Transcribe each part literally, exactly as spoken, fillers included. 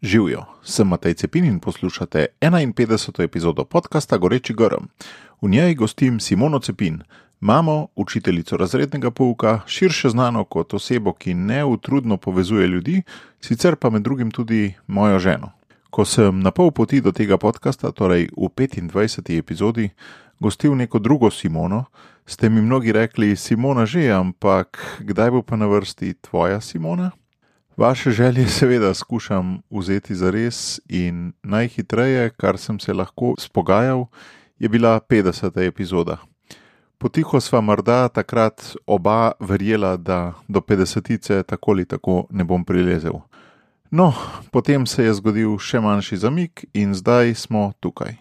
Živijo, sem Matej Cepin in poslušate enainpetdeseto epizodo podcasta Goreči grm. V njej gostim Simono Cepin, mamo, učiteljico razrednega pouka, širše znano kot osebo, ki neutrudno povezuje ljudi, sicer pa med drugim tudi mojo ženo. Ko sem na pol poti do tega podcasta, torej v petindvajseti epizodi, gostil neko drugo Simono, ste mi mnogi rekli, Simona že, ampak kdaj bo pa na vrsti tvoja Simona? Vaše želje seveda skušam vzeti zares in najhitreje, kar sem se lahko spogajal, je bila petdeseta epizoda. Potiho sva morda takrat oba verjela, da do petdesetice tako ali tako ne bom prilezel. No, potem se je zgodil še manjši zamik in zdaj smo tukaj.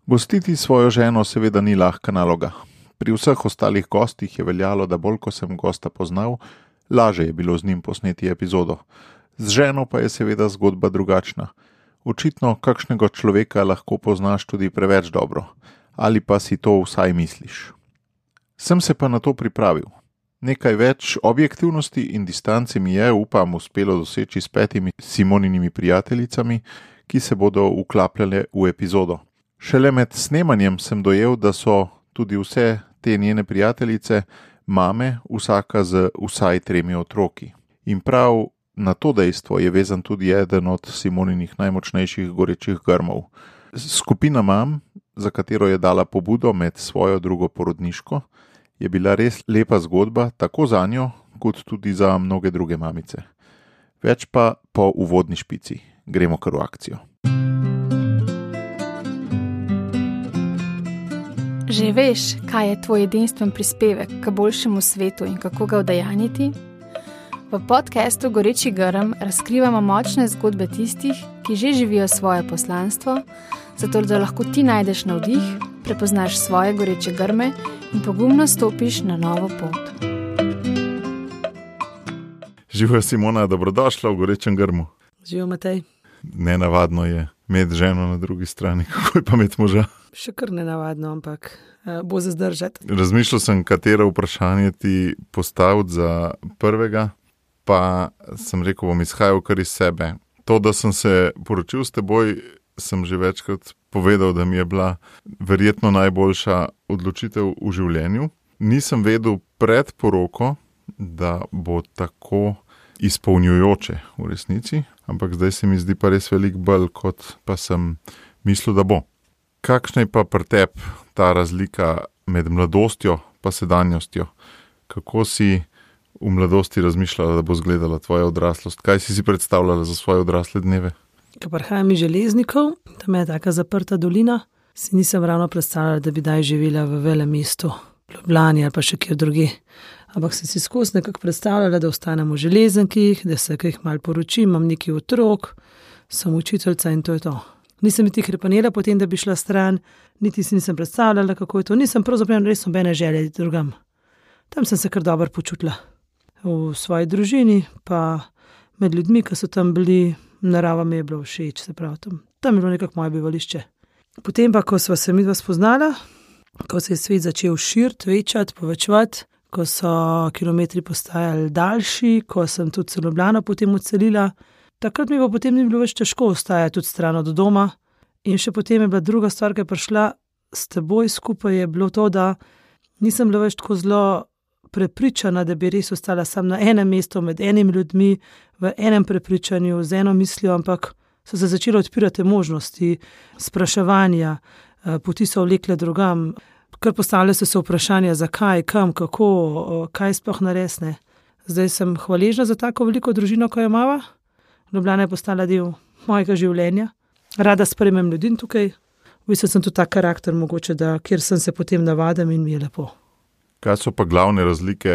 Gostiti svojo ženo seveda ni lahka naloga. Pri vseh ostalih gostih je veljalo, da bolj ko sem gosta poznal, laže je bilo z njim posneti epizodo. Z ženo pa je seveda zgodba drugačna. Očitno kakšnega človeka lahko poznaš tudi preveč dobro, ali pa si to vsaj misliš. Sem se pa na to pripravil. Nekaj več objektivnosti in distance mi je, upam, uspelo doseči s petimi Simoninimi prijateljicami, ki se bodo vklapljale v epizodo. Šele med snemanjem sem dojel, da so tudi vse te njene prijateljice mame, vsaka z vsaj tremi otroki. In prav na to dejstvo je vezan tudi eden od Simoninih najmočnejših gorečih grmov. Skupina mam, za katero je dala pobudo med svojo drugo porodniško, je bila res lepa zgodba, tako za njo, kot tudi za mnoge druge mamice. Več pa po uvodni špici. Gremo kar v akcijo. Že veš, kaj je tvoj edinstven prispevek k boljšemu svetu in kako ga udejanjiti? V podcastu Goreči grm razkrivamo močne zgodbe tistih, ki že živijo svoje poslanstvo, zato da lahko ti najdeš navdih, prepoznaš svoje goreče grme in pogumno stopiš na novo pot. Živijo, Simona, dobrodošla v Gorečem grmu. Živijo, Matej. Nenavadno je imeti ženo na drugi strani, kako je pa imeti moža. Še kar nenavadno, ampak uh, bo za zdržati. Razmišljal sem, katero vprašanje ti postaviti za prvega, pa sem rekel, bom izhajal kar iz sebe. To, da sem se poročil s teboj, sem že večkrat povedal, da mi je bila verjetno najboljša odločitev v življenju. Nisem vedel pred poroko, da bo tako izpolnjujoče v resnici, ampak zdaj se mi zdi pa res veliko bolj, kot pa sem mislil, da bo. Kakšna je pa pri tebi ta razlika med mladostjo pa sedanjostjo? Kako si v mladosti razmišljala, da bo izgledala tvoja odraslost? Kaj si si predstavljala za svoje odrasle dneve? Ko prihajam iz Železnikov, tam je taka zaprta dolina, si nisem ravno predstavljala, da bi daj živela v velem mestu, Ljubljani ali pa še kjer drugi. Ampak sem si skozi nekako predstavljala, da ostanem v Železnikih, da se kaj malo poročim, imam nekaj otrok, sem učiteljca in to je to. Nisem niti krepanela potem, da bi šla stran, niti si nisem predstavljala, kako je to. Nisem pravzaprav res nobene želje drugam. Tam sem se kar dobro počutila. V svoji družini, pa med ljudmi, ki so tam bili, narava mi je bilo všeč, se pravi tam. Tam je bilo nekako moje bivališče. Potem pa, ko sva se midva spoznala, ko se je svet začel širiti, večati, povečevati, ko so kilometri postajali daljši, ko sem tudi se Ljubljano potem odselila, takrat mi pa potem ni bilo več težko ostajati tudi stran od doma. In še potem je bila druga stvar, ki je prišla s teboj skupaj, je bilo to, da nisem bila več tako zelo prepričana, da bi res ostala sam na enem mestu, med enimi ljudmi, v enem prepričanju, z eno mislijo, ampak so se začele odpirati možnosti, spraševanja, poti so vlekle drugam, kar postavljajo se se vprašanja, zakaj, kam, kako, kaj sploh naresne. Zdaj sem hvaležna za tako veliko družino, ko jo imava. Ljubljana je postala del mojega življenja. Rada sprejmem ljudi tukaj. V bistvu sem tudi tak karakter mogoče, da kjer sem se potem navadam in mi je lepo. Kaj so pa glavne razlike,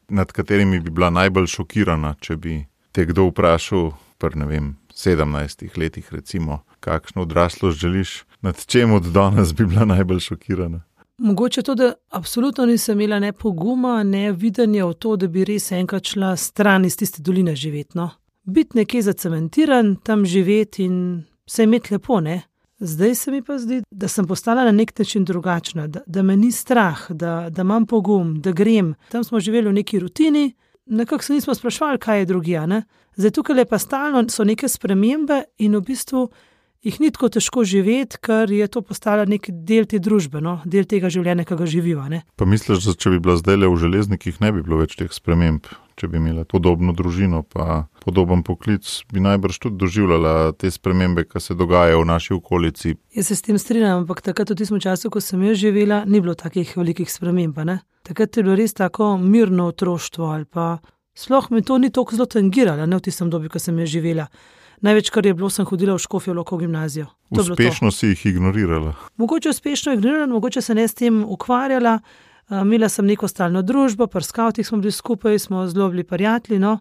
nad katerimi bi bila najbolj šokirana, če bi te kdo vprašal pri, ne vem, sedemnajstih letih recimo, kakšno odraslost želiš, nad čem od danes bi bila najbolj šokirana? Mogoče to, da absolutno nisem imela ne poguma, ne videnja v to, da bi res enkrat šla stran iz tiste doline živeti, no. Biti nekje zacementiran, tam živeti in se imeti lepo, ne. Zdaj se mi pa zdi, da sem postala na nek način drugačna, da, da me ni strah, da, da imam pogum, da grem. Tam smo živeli v neki rutini, nekako se nismo sprašvali, kaj je drugija. Ne? Zdaj tukaj je pa stalno, so neke spremembe in v bistvu jih ni tako težko živeti, ker je to postala nek del te družbe, no? Del tega življenja, ki ga živiva. Ne? Pa misliš, da če bi bila zdaj le v železnikih, ne bi bilo več teh sprememb? Če bi imela podobno družino pa podoben poklic, bi najbrž tudi doživljala te spremembe, ki se dogajajo v naši okolici. Jaz se s tem strinjam, ampak takrat v tistem času, ko sem jaz živela, ni bilo takih velikih sprememb. Ne? Takrat je bilo res tako mirno otroštvo ali pa sploh mi to ni toliko zelo tangiralo, ne v tistem dobi, ko sem jaz živela. Največ, kar je bilo, sem hodila v Škofjo Loko gimnazijo. To uspešno si jih ignorirala? Mogoče uspešno ignorirala, mogoče se ne s tem ukvarjala. Imela sem neko stalno družbo, pri skavtih smo bili skupaj, smo zelo bili prijatelji, no,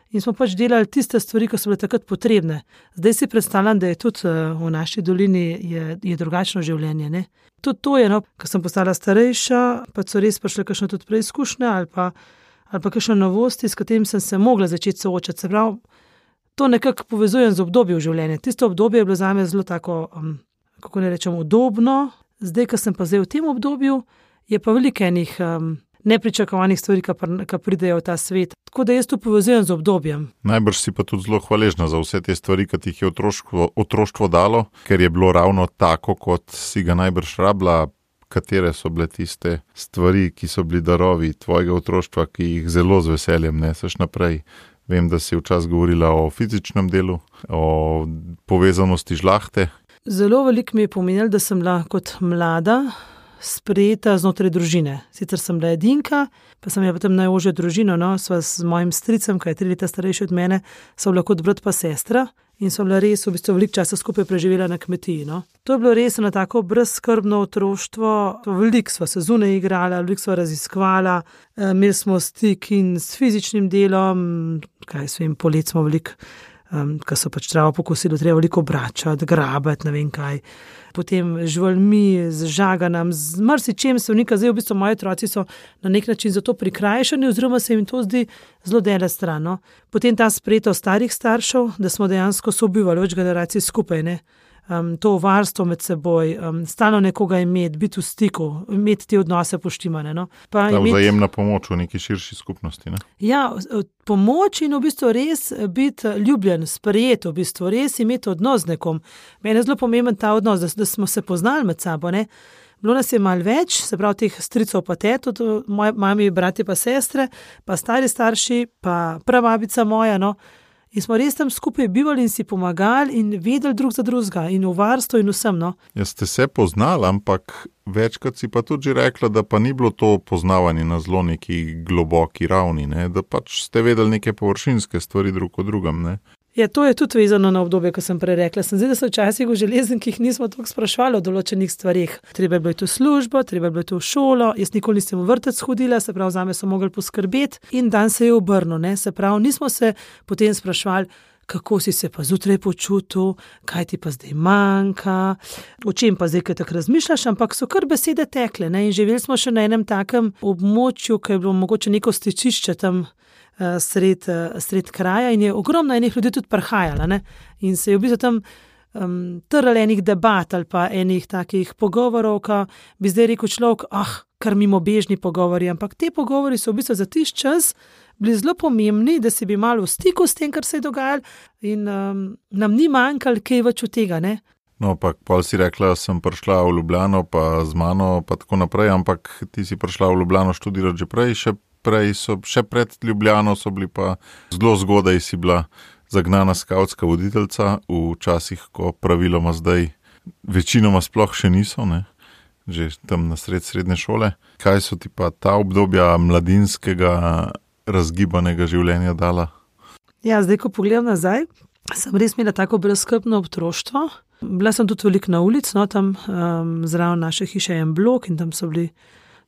in smo pač delali tiste stvari, ki so bile takrat potrebne. Zdaj si predstavljam, da je tudi v naši dolini je, je drugačno življenje. Ne? Tudi to je, no, ko sem postala starejša, pa so res prišle kakšne tudi preizkušnje ali pa, ali pa kakšne novosti, s katerim sem se mogla začeti soočati. Se pravi, to nekako povezujem z obdobjem življenja. Tisto obdobje je bilo zame zelo tako, um, kako ne rečem, udobno. Zdaj, ko sem pa zdaj v tem obdobju, je pa veliko enih um, nepričakovanih stvari, ki pridejo v ta svet. Tako da jaz to povezujem z obdobjem. Najbrž si pa tudi zelo hvaležna za vse te stvari, ki ti jih je otroštvo, otroštvo dalo, ker je bilo ravno tako, kot si ga najbrž rabila. Katere so bile tiste stvari, ki so bili darovi tvojega otroštva, ki jih zelo z veseljem neseš naprej? Vem, da si včasih govorila o fizičnem delu, o povezanosti žlahte. Zelo veliko mi je pomenilo, da sem bila kot mlada sprejeta znotraj družine. Sicer sem bila edinka, pa sem je potem najožjo družino, no, sva s mojim stricem, ki je tri leta starejši od mene, so bila kot brat pa sestra in so bila res v bistvu veliko časa skupaj preživela na kmetiji. No. To je bilo res na tako brezskrbno otroštvo, veliko sva se zunaj igrala, veliko sva raziskvala, imeli smo stik in s fizičnim delom, kaj svem, polet smo veliko, um, ko so pač travo pokosili, treba veliko obračati, grabati, ne vem kaj. Potem živalmi, z žaganam, z marsičem se vnika. Zdaj v bistvu moji otroci so na nek način za to prikrajšani, oziroma se jim to zdi zelo dela stran. No. Potem ta sprejetost starih staršev, da smo dejansko sobivali več generacij skupaj, ne. Um, to varstvo med seboj, um, stalno nekoga imeti, biti v stiku, imeti te odnose poštimane. No. Pa Ta imeti, vzajemna pomoč v neki širši skupnosti. Ne? Ja, pomoč in v bistvu res biti ljubljen, sprejet, v bistvu res imeti odnos z nekom. Meni je zelo pomemben ta odnos, da, da smo se poznali med sabo. Ne. Bilo nas je malo več, se pravi teh stricov pa tetov, moji mami, bratje pa sestre, pa stari starši, pa prababica moja, no. In smo res tam skupaj bivali in si pomagali in vedeli drug za drugega in v varstvu in vsem. No. Ja, ste se poznali, ampak večkrat si pa tudi že rekla, da pa ni bilo to poznavanje na zelo neki globoki ravni, ne? Da pač ste vedeli neke površinske stvari drug o drugem. Ne? Ja, to je tudi vezano na obdobje, ko sem prej rekla. Sem zdaj, da so včasih v železnikih nismo toliko sprašvali o določenih stvarih. Treba je bilo to službo, treba je bilo to šolo, jaz nikoli nisem v vrtec hodila, se pravi, zame so mogli poskrbeti in dan se je obrnil, ne, se pravi, nismo se potem sprašvali, kako si se pa zjutraj počutil, kaj ti pa zdaj manjka, o čem pa zdaj, kaj tako razmišljaš, ampak so kar besede tekle, ne, in živeli smo še na enem takem območju, ki je bilo mogoče neko stičišče tam Sred, sred kraja in je ogromno enih ljudi tudi prihajala. Ne? In se je v bistvu tam um, trl enih debat ali pa enih takih pogovorov, ki bi zdaj rekel človek, ah, kar mimo bežni pogovori, ampak te pogovori so v bistvu za tiš čas bili zelo pomembni, da si bi malo v stiku s tem, kar se je dogajalo in um, nam ni manjkalo kaj več od tega. Ne? No, pa pol si rekla, sem prišla v Ljubljano pa z mano pa tako naprej, ampak ti si prišla v Ljubljano študirati že prej, še prej so, še pred Ljubljano so bili pa zelo zgodaj si bila zagnana skavtska voditeljca v časih, ko praviloma zdaj večinoma sploh še niso, ne? Že tam na sred srednje šole. Kaj so ti pa ta obdobja mladinskega razgibanega življenja dala? Ja, zdaj, ko pogledam nazaj, sem res imela tako brezskrbno otroštvo. Bila sem tudi veliko na ulici, no, tam um, zraven naše hiše je en blok in tam so bili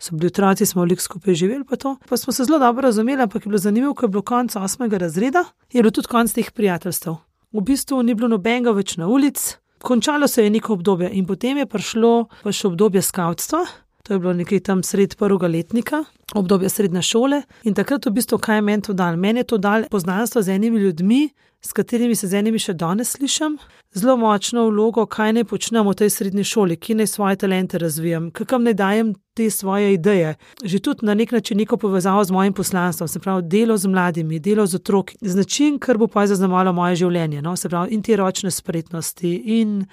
so bili otroci, smo veliko skupaj živeli pa to. Pa smo se zelo dobro razumeli, ampak je bilo zanimivo, ko je bilo konec osmega razreda, je bilo tudi konec teh prijateljstev. V bistvu ni bilo nobenega več na ulici, končalo se je neko obdobje in potem je prišlo pa še obdobje skavtstva, to je bilo nekaj tam sred prvega letnika obdobje srednje šole in takrat v bistvu, kaj je meni to dal? Meni je to dal poznanstvo z enimi ljudmi, s katerimi se z enimi še danes slišim, zelo močno vlogo, kaj naj počnem v tej srednji šoli, ki naj svoje talente razvijam, kakam naj dajem te svoje ideje. Že tudi na nek način neko povezavo z mojim poslanstvom, se pravi delo z mladimi, delo z otroki, z način, kar bo pa zaznamovalo moje življenje, no? Se pravi in te ročne spretnosti in,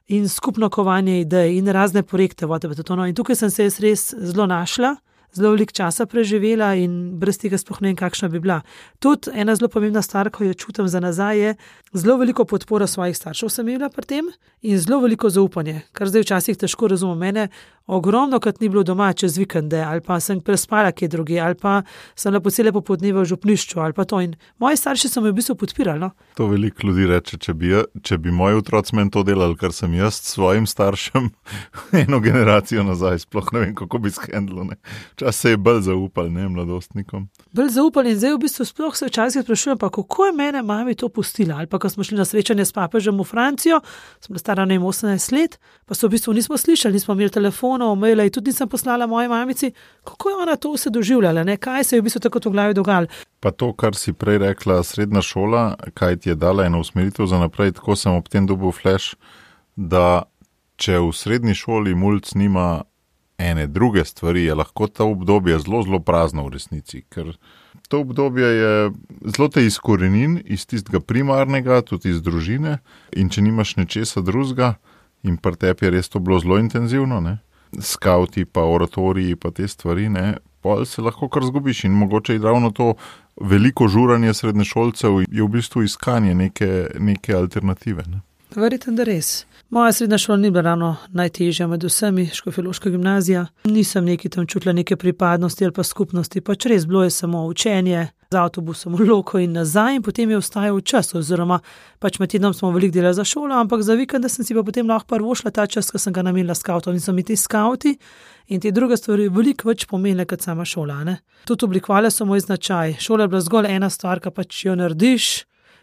in skupno kovanje idej in razne projekte. No? In tukaj sem se jaz res zelo našla, zelo veliko časa preživela in brez tega sploh ne vem, kakšna bi bila. Tudi ena zelo pomembna stvar, ko jo čutim za nazaj, je zelo veliko podporo svojih staršev sem imela pri tem in zelo veliko zaupanje, kar zdaj včasih težko razumem. Mene ogromno, kad ni bilo doma čez vikende, ali pa sem prespala kje drugi, ali pa sem lepo cele popodneve v župnišču, ali pa to. In moji starši so me v bistvu podpirali. No? To veliko ljudi reče, če bi, če bi moji otroci meni to delali, kar sem jaz svojim staršem eno generacijo nazaj, sploh ne vem, kako bi shendlo. Čas se je bolj zaupal, ne, mladostnikom. Bolj zaupal in zdaj v bistvu sploh se včasih sprašujem, pa kako je mene mami to pustila. Ali pa ko smo šli na srečanje s papežem v Francijo, sem bila stara ne vem osemnajst let, pa so v bistvu nismo slišali, nismo imeli telefonov, maila in tudi nisem poslala moji mamici, kako je ona to vse doživljala, ne? Kaj se je v bistvu tako v glavi dogajalo. Pa to, kar si prej rekla, srednja šola, kaj ti je dala eno usmeritev za naprej, tako sem ob tem dobil flash, da če v srednji šoli mulc nima ene druge stvari, je lahko to obdobje zelo, zelo prazno v resnici, ker to obdobje je zelo te izkorenin iz tistega primarnega, tudi iz družine, in če nimaš nečesa drugega, in pri tebi je res to bilo zelo intenzivno, ne? Skauti pa oratoriji pa te stvari, ne? Pol se lahko kar zgubiš in mogoče je ravno to veliko žuranje srednješolcev je v bistvu iskanje neke, neke alternative. Ne? Verjetno, da res. Moja srednja šola ni bila ravno najtežja med vsemi, škofjeloška gimnazija. Nisem neki tam čutila neke pripadnosti ali pa skupnosti, pač res bilo je samo učenje z avtobusom v Loko in nazaj in potem je ostajal čas, oziroma pač med tednom smo veliko delali za šolo, ampak za vikende sem si pa potem lahko prvošla ta čas, ko sem ga namenila skautom in so mi ti skauti in te druge stvari veliko več pomenile kot sama šola. Ne? Tudi oblikovale so moj značaj. Šola je bila zgolj ena stvar, ki pač jo narediš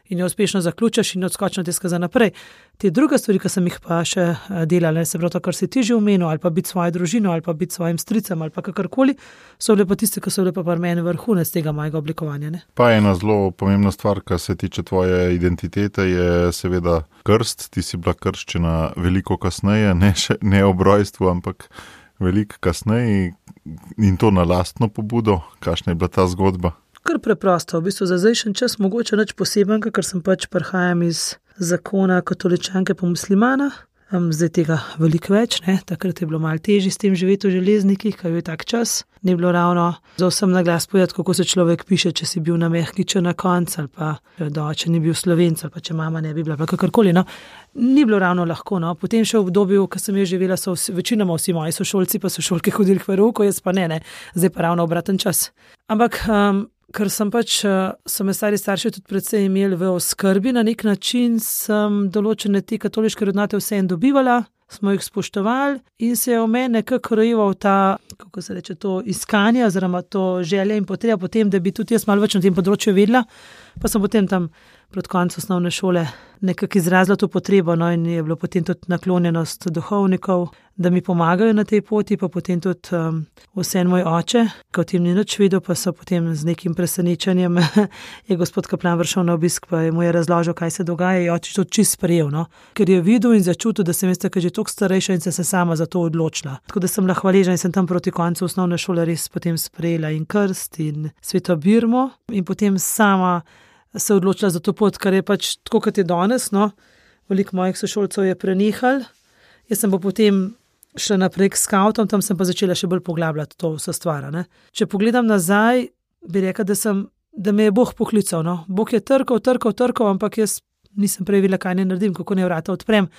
in jo uspešno zaključiš in odskočno te skaza naprej. Te druge stvari, ki sem jih pa še delala, se pravi to, kar si ti že omenil, ali pa biti svojo družino, ali pa biti svojim stricem, ali pa kakorkoli, so bile pa tiste, ki so bile pa pri meni vrhunec tega mojega oblikovanja. Ne? Pa ena zelo pomembna stvar, kar se tiče tvoje identitete, je seveda krst. Ti si bila krščena veliko kasneje, ne, še, ne ob rojstvu, ampak veliko kasneje in to na lastno pobudo. Kakšna je bila ta zgodba? Kar preprosto, v bistvu za zdajšen čas mogoče nič posebenega, ker sem pač prihajam iz zakona katoličanke pa muslimana. Zdaj tega veliko več, ne? Takrat je bilo malo težje s tem živeti v Železnikih, ker je tak čas. Ni bilo ravno za vsem na glas povedati, kako se človek piše, če si bil na mehkiču na koncu, ali pa da oče ni bil Slovenc, ali pa če mama ne bi bila, pa kakorkoli. No? Ni bilo ravno lahko. No? Potem še v obdobju, ko sem jo živela, so vsi, večinoma vsi moji sošolci pa sošolke hodili k verouku, jaz pa ne, ne. Zdaj pa ravno obraten čas. Ampak um, ker sem pač, so me stari starši tudi predvsej imeli v oskrbi, na nek način sem določene te katoliške vrednote vseeno dobivala, smo jih spoštovali in se je v meni nekako rojeval ta, kako se reče, to iskanje oziroma to želja in potreba potem, da bi tudi jaz malo več na tem področju vedela, pa sem potem tam pred koncem osnovne šole nekako izrazila to potrebo, no in je bilo potem tudi naklonjenost duhovnikov, da mi pomagajo na tej poti, pa potem tudi um, vsem moj oče, ko tem ni nič videl, pa so potem z nekim presenečenjem je gospod kaplan vršel na obisk, pa je mu je razložil, kaj se dogaja, je oče to čist sprejel, no, ker je videl in začutil, da sem jaz tako že toliko starejša in sem se sama za to odločila. Tako da sem bila hvaležna in sem tam proti koncu osnovne šole res potem sprejela in krst in sveto birmo in potem sama se odločila za to pot, kar je pač tako, kot je danes, no, veliko mojih sošolcev je prenehal. Jaz sem pa potem šla naprej k skautom, tam sem pa začela še bolj poglabljati to vse stvar, ne. Če pogledam nazaj, bi rekla, da sem, da me je Bog poklical, no. Bog je trkal, trkal, trkal, ampak jaz nisem prej vedela, kaj ne naredim, kako ne vrata odprem.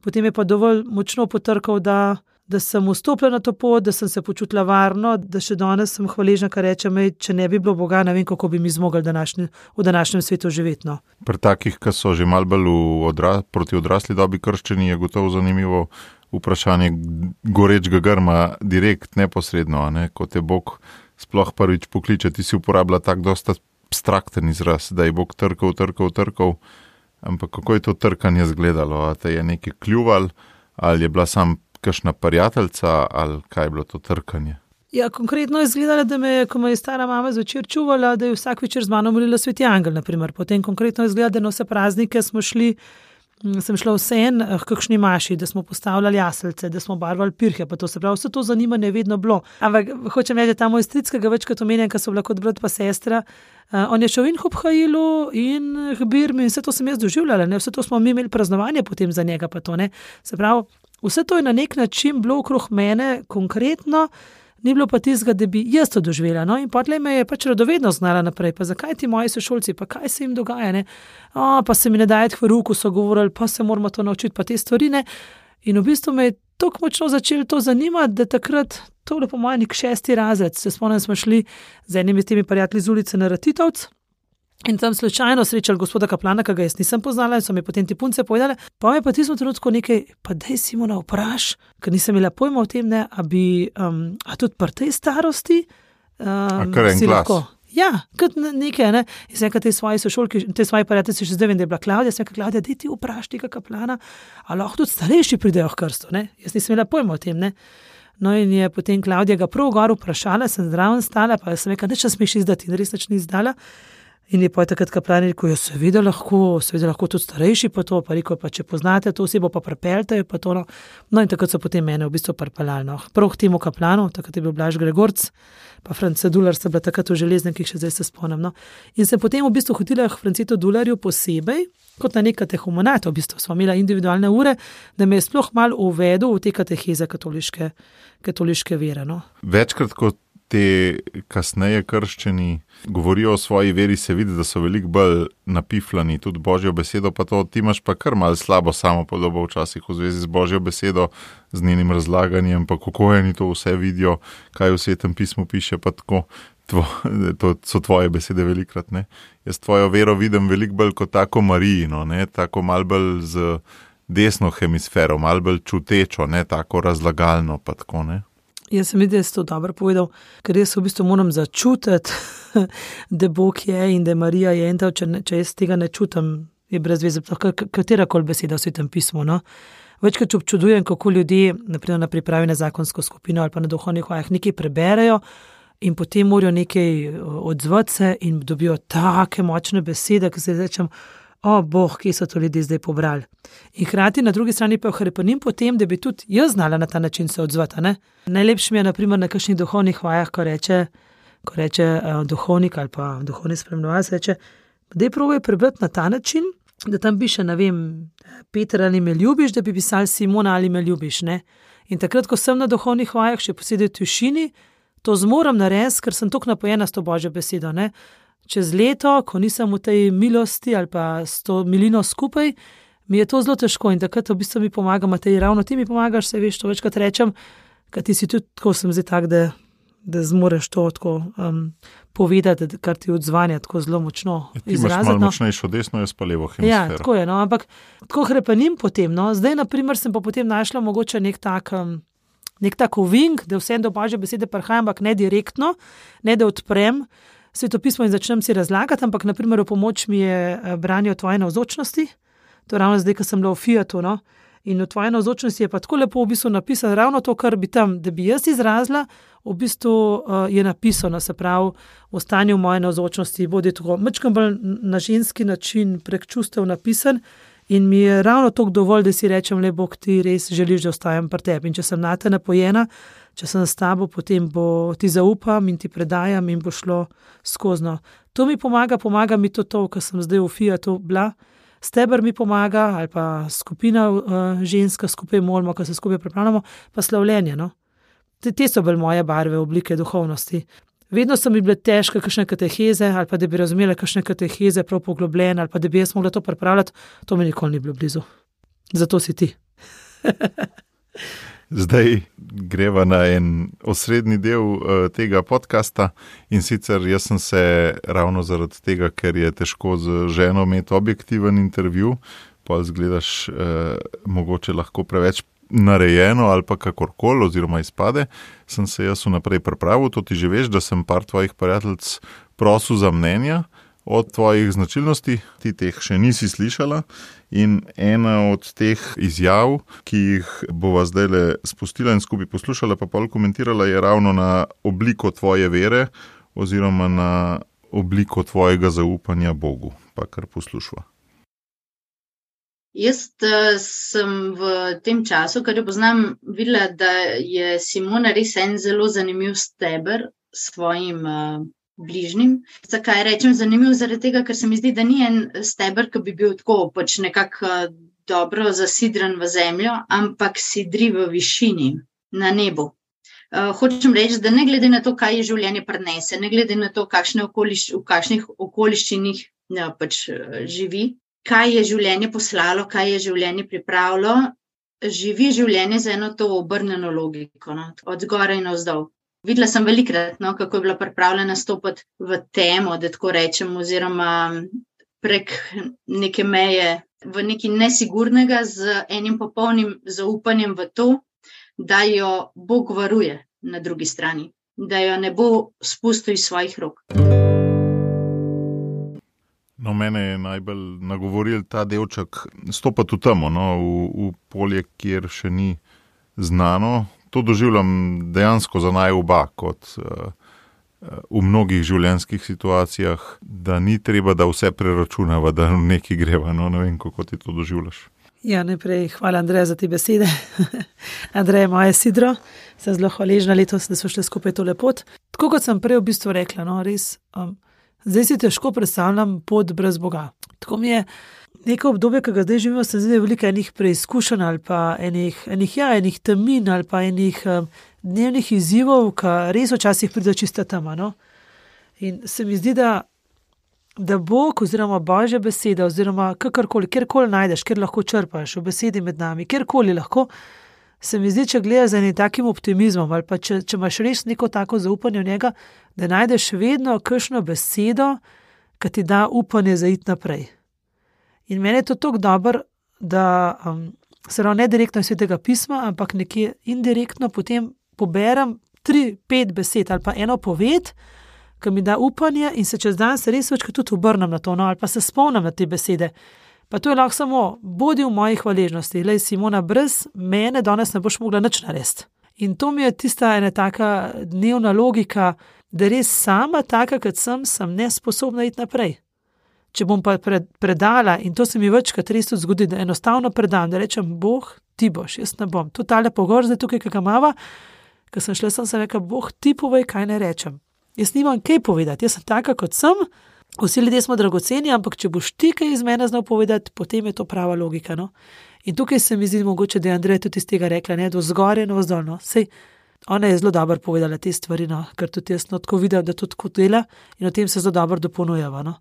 Potem je pa dovolj močno potrkal, da da sem vstopila na to pot, da sem se počutila varno, da še danes sem hvaležna, kar rečem, če ne bi bilo Boga, ne vem, kako bi mi zmogli današnji, v današnjem svetu živeti. No. Pri takih, ki so že malo bolj odra, proti odrasli dobi krščeni, je gotovo zanimivo vprašanje gorečega grma direkt, neposredno, ne? Ko te Bog sploh prvič pokliče, ti si uporabila tak dosta abstrakten izraz, da je Bog trkal, trkal, trkal, ampak kako je to trkanje izgledalo? A te je nekaj kljuval, ali je bila sam kakšna prijateljca ali kaj je bilo to trkanje? Ja, konkretno je izgledalo, da me je, ko me je stara mama zvečer čuvala, da je vsak večer z mano molila Sveti Angel, naprimer. Potem konkretno je izgledalo, da na vse praznike smo šli, sem šla v sen, k kakšni maši, da smo postavljali jaselce, da smo barvali pirhe, pa to se pravi, vse to zanimanje je vedno bilo. Ampak hočem reči, da ta moj stric, ki ga večkrat omenjam, ker so bila kot brat pa sestra, uh, on je šel in k Obhajilu in k Birmi in vse to sem jaz doživljala, ne? Vse to smo mi imeli praznovanje potem za njega, pa to ne. Se pravi, vse to je na nek način bilo okrog mene konkretno, ni bilo pa tistega, da bi jaz to doživela. No? In potlej me je pač radovedno znala naprej, pa zakaj ti moji sošolci, pa kaj se jim dogaja, ne? O, pa se mi ne daje v ruku, so govorili, pa se moramo to naučiti, pa te stvari, ne? In v bistvu me je tako močno začelo to zanimati, da takrat, to je bilo po mojem nek šesti razred, se spomnim, smo šli z enimi temi prijatelji z ulice na Ratitovc, in tam slučajno srečali gospoda kaplana, ki ga jaz nisem poznala in so mi potem ti punce povedale, pa me pa tismo trenutku nekaj, pa dej Simona vpraš, ker nisem imela pojma o tem, ne, a bi, um, a tudi pri tej starosti, um, kar en si glas. lahko, ja, kot nekaj, ne, in sem nekaj te svoje sošolki, te svoje prijatelji, še zdaj vem, da je bila Klavdija, sem nekaj Klavdija, dej ti vpraš tega kaplana, a lahko tudi starejši pridejo k krstu, ne, jaz nisem imela pojma o tem, ne. No in je potem Klavdija ga prav gor vprašala, sem zraven stala, pa sem nekaj, neč smeš izdati, in res neč ni izdala. In je pa takrat kaplan rekel, jo seveda lahko, seveda lahko tudi starejši pa to, pa rekel, pa če poznate to osebo, pa prepeljte, pa to, no. No in takrat so potem mene v bistvu pripeljali, no. Prav k temu kaplanu, takrat je bil Blaž Gregorc, pa Franca Dular sta bila takrat v železnikih, še zdaj se spomnim, no. In sem potem v bistvu hotela k Francetu Dularju posebej, kot na nek katehumenat, v bistvu smo imela individualne ure, da me je sploh malo uvedel v te kateheze katoliške, katoliške vere, no. Večkrat, kot te kasneje krščeni govorijo o svoji veri, se vidi, da so veliko bolj napiflani, tudi Božjo besedo, pa to ti imaš pa kar malo slabo samopodobo včasih v zvezi z Božjo besedo, z njenim razlaganjem, pa kako oni to vse vidijo, kaj v Svetem pismu piše, pa tako, tvo, to so tvoje besede velikrat, ne. Jaz tvojo vero vidim veliko bolj kot tako Marijino, ne, tako malo bolj z desno hemisfero, malo bolj čutečo, ne, tako razlagalno, pa tako, ne. Jaz sem videl, da si to dobro povedal, ker jaz v bistvu moram začutiti, da Bog je in da Marija je in to, če, če jaz tega ne čutim, je brez veze, katerakoli beseda v Svetem pismu, no. Večkrat občudujem, kako ljudje, naprimer na pripravi na zakonsko skupino ali pa na duhovnih vajah, nekaj preberejo in potem morajo nekaj odzvati se in dobijo take močne besede, ki se rečem, o, Bog, kje so to ljudje zdaj pobrali. In hkrati na drugi strani pa hrepenim potem, da bi tudi jaz znala na ta način se odzvati, ne. Najlepše mi je, naprimer, na kakšnih duhovnih vajah, ko reče, ko reče uh, duhovnik ali pa duhovni spremljevalec, reče, daj probaj prebrati na ta način, da tam piše, ne vem, Peter ali me ljubiš, da bi pisal Simona ali me ljubiš, ne. In takrat, ko sem na duhovnih vajah, še posebej v tišini, to zmoram narediti, ker sem toliko napojena s to Božjo besedo, ne. Čez leto, ko nisem v tej milosti ali pa s to milino skupaj, mi je to zelo težko in takrat v bistvu mi pomaga Matej, ravno ti mi pomagaš, se veš, to večkrat rečem, ker ti si tudi, tako sem zdaj tak, da, da zmoreš to tako um, povedati, kar ti odzvanja tako zelo močno izraziti. Ti imaš malo močnejšo desno, jaz pa levo hemisfero. Ja, tako je, no, ampak tako hrepenim potem, no, zdaj na primer sem pa potem našla mogoče nek tak, um, nek tak ovink, da vsem do Božje besede prihajam, ampak ne direktno, ne da odprem Svetopismo in začnem si razlagati, ampak naprimer v pomoč mi je branje o tvoje navzočnosti, to ravno zdaj, ko sem bila v Fiatu, no, in v tvoje navzočnosti je pa tako lepo v bistvu napisano, ravno to, kar bi tam, da bi jaz izrazila, v bistvu uh, je napisano, se pravi, v stanju moje navzočnosti, bodi tako mečkam bolj na ženski način prek čustev napisan in mi je ravno toliko dovolj, da si rečem, le Bog, ti res želiš, da ostajam pri tebi in če sem nate napojena, če sem s tabo, potem bo ti zaupam in ti predajam in bo šlo skozno. To mi pomaga, pomaga mi to to, ko sem zdaj v Fiatu bila. Steber mi pomaga, ali pa skupina uh, ženska, skupaj molimo, ko se skupaj pripravljamo, pa slavljenje, no. Te, te so bolj moje barve, oblike duhovnosti. Vedno so mi bile težke kakšne kateheze, ali pa da bi razumela kakšne kateheze prav poglobljene, ali pa da bi jaz mogla to pripravljati, to mi nikoli ni bilo blizu. Zato si ti. Zdaj greva na en osrednji del uh, tega podcasta in sicer jaz sem se ravno zaradi tega, ker je težko z ženo imeti objektiven intervju, pa zgledaš uh, mogoče lahko preveč narejeno ali pa kakorkoli oziroma izpade, sem se jaz vnaprej pripravil, to ti že veš, da sem par tvojih prijateljic prosil za mnenja o tvojih značilnosti, ti teh še nisi slišala in ena od teh izjav, ki jih bova zdajle spustila in skupaj poslušala, pa pol komentirala, je ravno na obliko tvoje vere oziroma na obliko tvojega zaupanja Bogu. Pa kar poslušva. Jaz sem v tem času, kar jo poznam, videla, da je Simona res en zelo zanimiv steber svojim uh, bližnjim. Zakaj rečem zanimiv? Zaradi tega, ker se mi zdi, da ni en steber, ki bi bil tako pač nekako uh, dobro zasidran v zemljo, ampak sidri v višini, na nebu. Uh, hočem reči, da ne glede na to, kaj je življenje prinese, ne glede na to, kakšne okoliš, v kakšnih okoliščinih ja, pač uh, živi, kaj je življenje poslalo, kaj je življenje pripravilo, živi življenje z eno to obrnjeno logiko, no? Od zgoraj in navzdol. Videla sem velikrat, no, kako je bila pripravljena stopiti v temo, da tako rečem, oziroma prek neke meje, v nekaj nesigurnega z enim popolnim zaupanjem v to, da jo Bog varuje na drugi strani, da jo ne bo spustil iz svojih rok. No, mene je najbolj nagovoril ta delček stopati v temo, no, v, v polje, kjer še ni znano. To doživljam dejansko za naj oba, kot uh, v mnogih življenjskih situacijah, da ni treba, da vse preračunava, da nekaj greva. No, ne vem, kako ti to doživljaš. Ja, najprej hvala, Andreja, za te besede. Andreja, moje sidro, sem zelo hvaležna letos, da so šli skupaj tole pot. Tako kot sem prej v bistvu rekla, no, res... Um, Zdaj si težko predstavljam pot brez Boga. Tako mi je neko obdobje, ki ga zdaj živimo, se zdi veliko enih preizkušenj ali pa enih, enih, ja, enih temin ali pa enih um, dnevnih izzivov, ki res včasih pride čista tema. No? In se mi zdi, da, da Bog oziroma Božja beseda oziroma kakorkoli, kjerkoli najdeš, kjer lahko črpaš v besedi med nami, kjerkoli lahko, se mi zdi, če gledaš z enim takim optimizmom ali pa če, če imaš res neko tako zaupanje v njega, da najdeš vedno kakšno besedo, ki ti da upanje za iti naprej. In meni je to tako dobro, da um, se ravno ne direktno iz Svetega pisma, ampak nekje indirektno potem poberem tri, pet besed ali pa eno poved, ki mi da upanje in se čez dan se res večkrat tudi obrnem na to, no, ali pa se spomnim na te besede. Pa to je lahko samo, bodi v moji hvaležnosti. Lej, Simona, brez mene danes ne boš mogla nič narediti. In to mi je tista ena taka dnevna logika, da res sama taka, kot sem, sem nesposobna iti naprej. Če bom pa pred, predala, in to se mi večkrat res tudi zgodi, da enostavno predam, da rečem, Bog, ti boš, jaz ne bom. To tale pogor zdaj tukaj, kakaj mava, ko sem šla, sem se rekla, Bog, ti povej, kaj ne rečem. Jaz nimam kaj povedati, jaz sem taka, kot sem. Vsi ljudje smo dragoceni, ampak če boš ti kaj iz mene znal povedati, potem je to prava logika. No? In tukaj se mi zdi mogoče, da je Andreja tudi iz tega rekla, ne, do zgoraj in navzdol. No? Sej, ona je zelo dobro povedala te stvari, no? Ker tudi jaz no, tako vidim, da tudi tako dela in o tem se zelo dobro dopolnjujeva. No?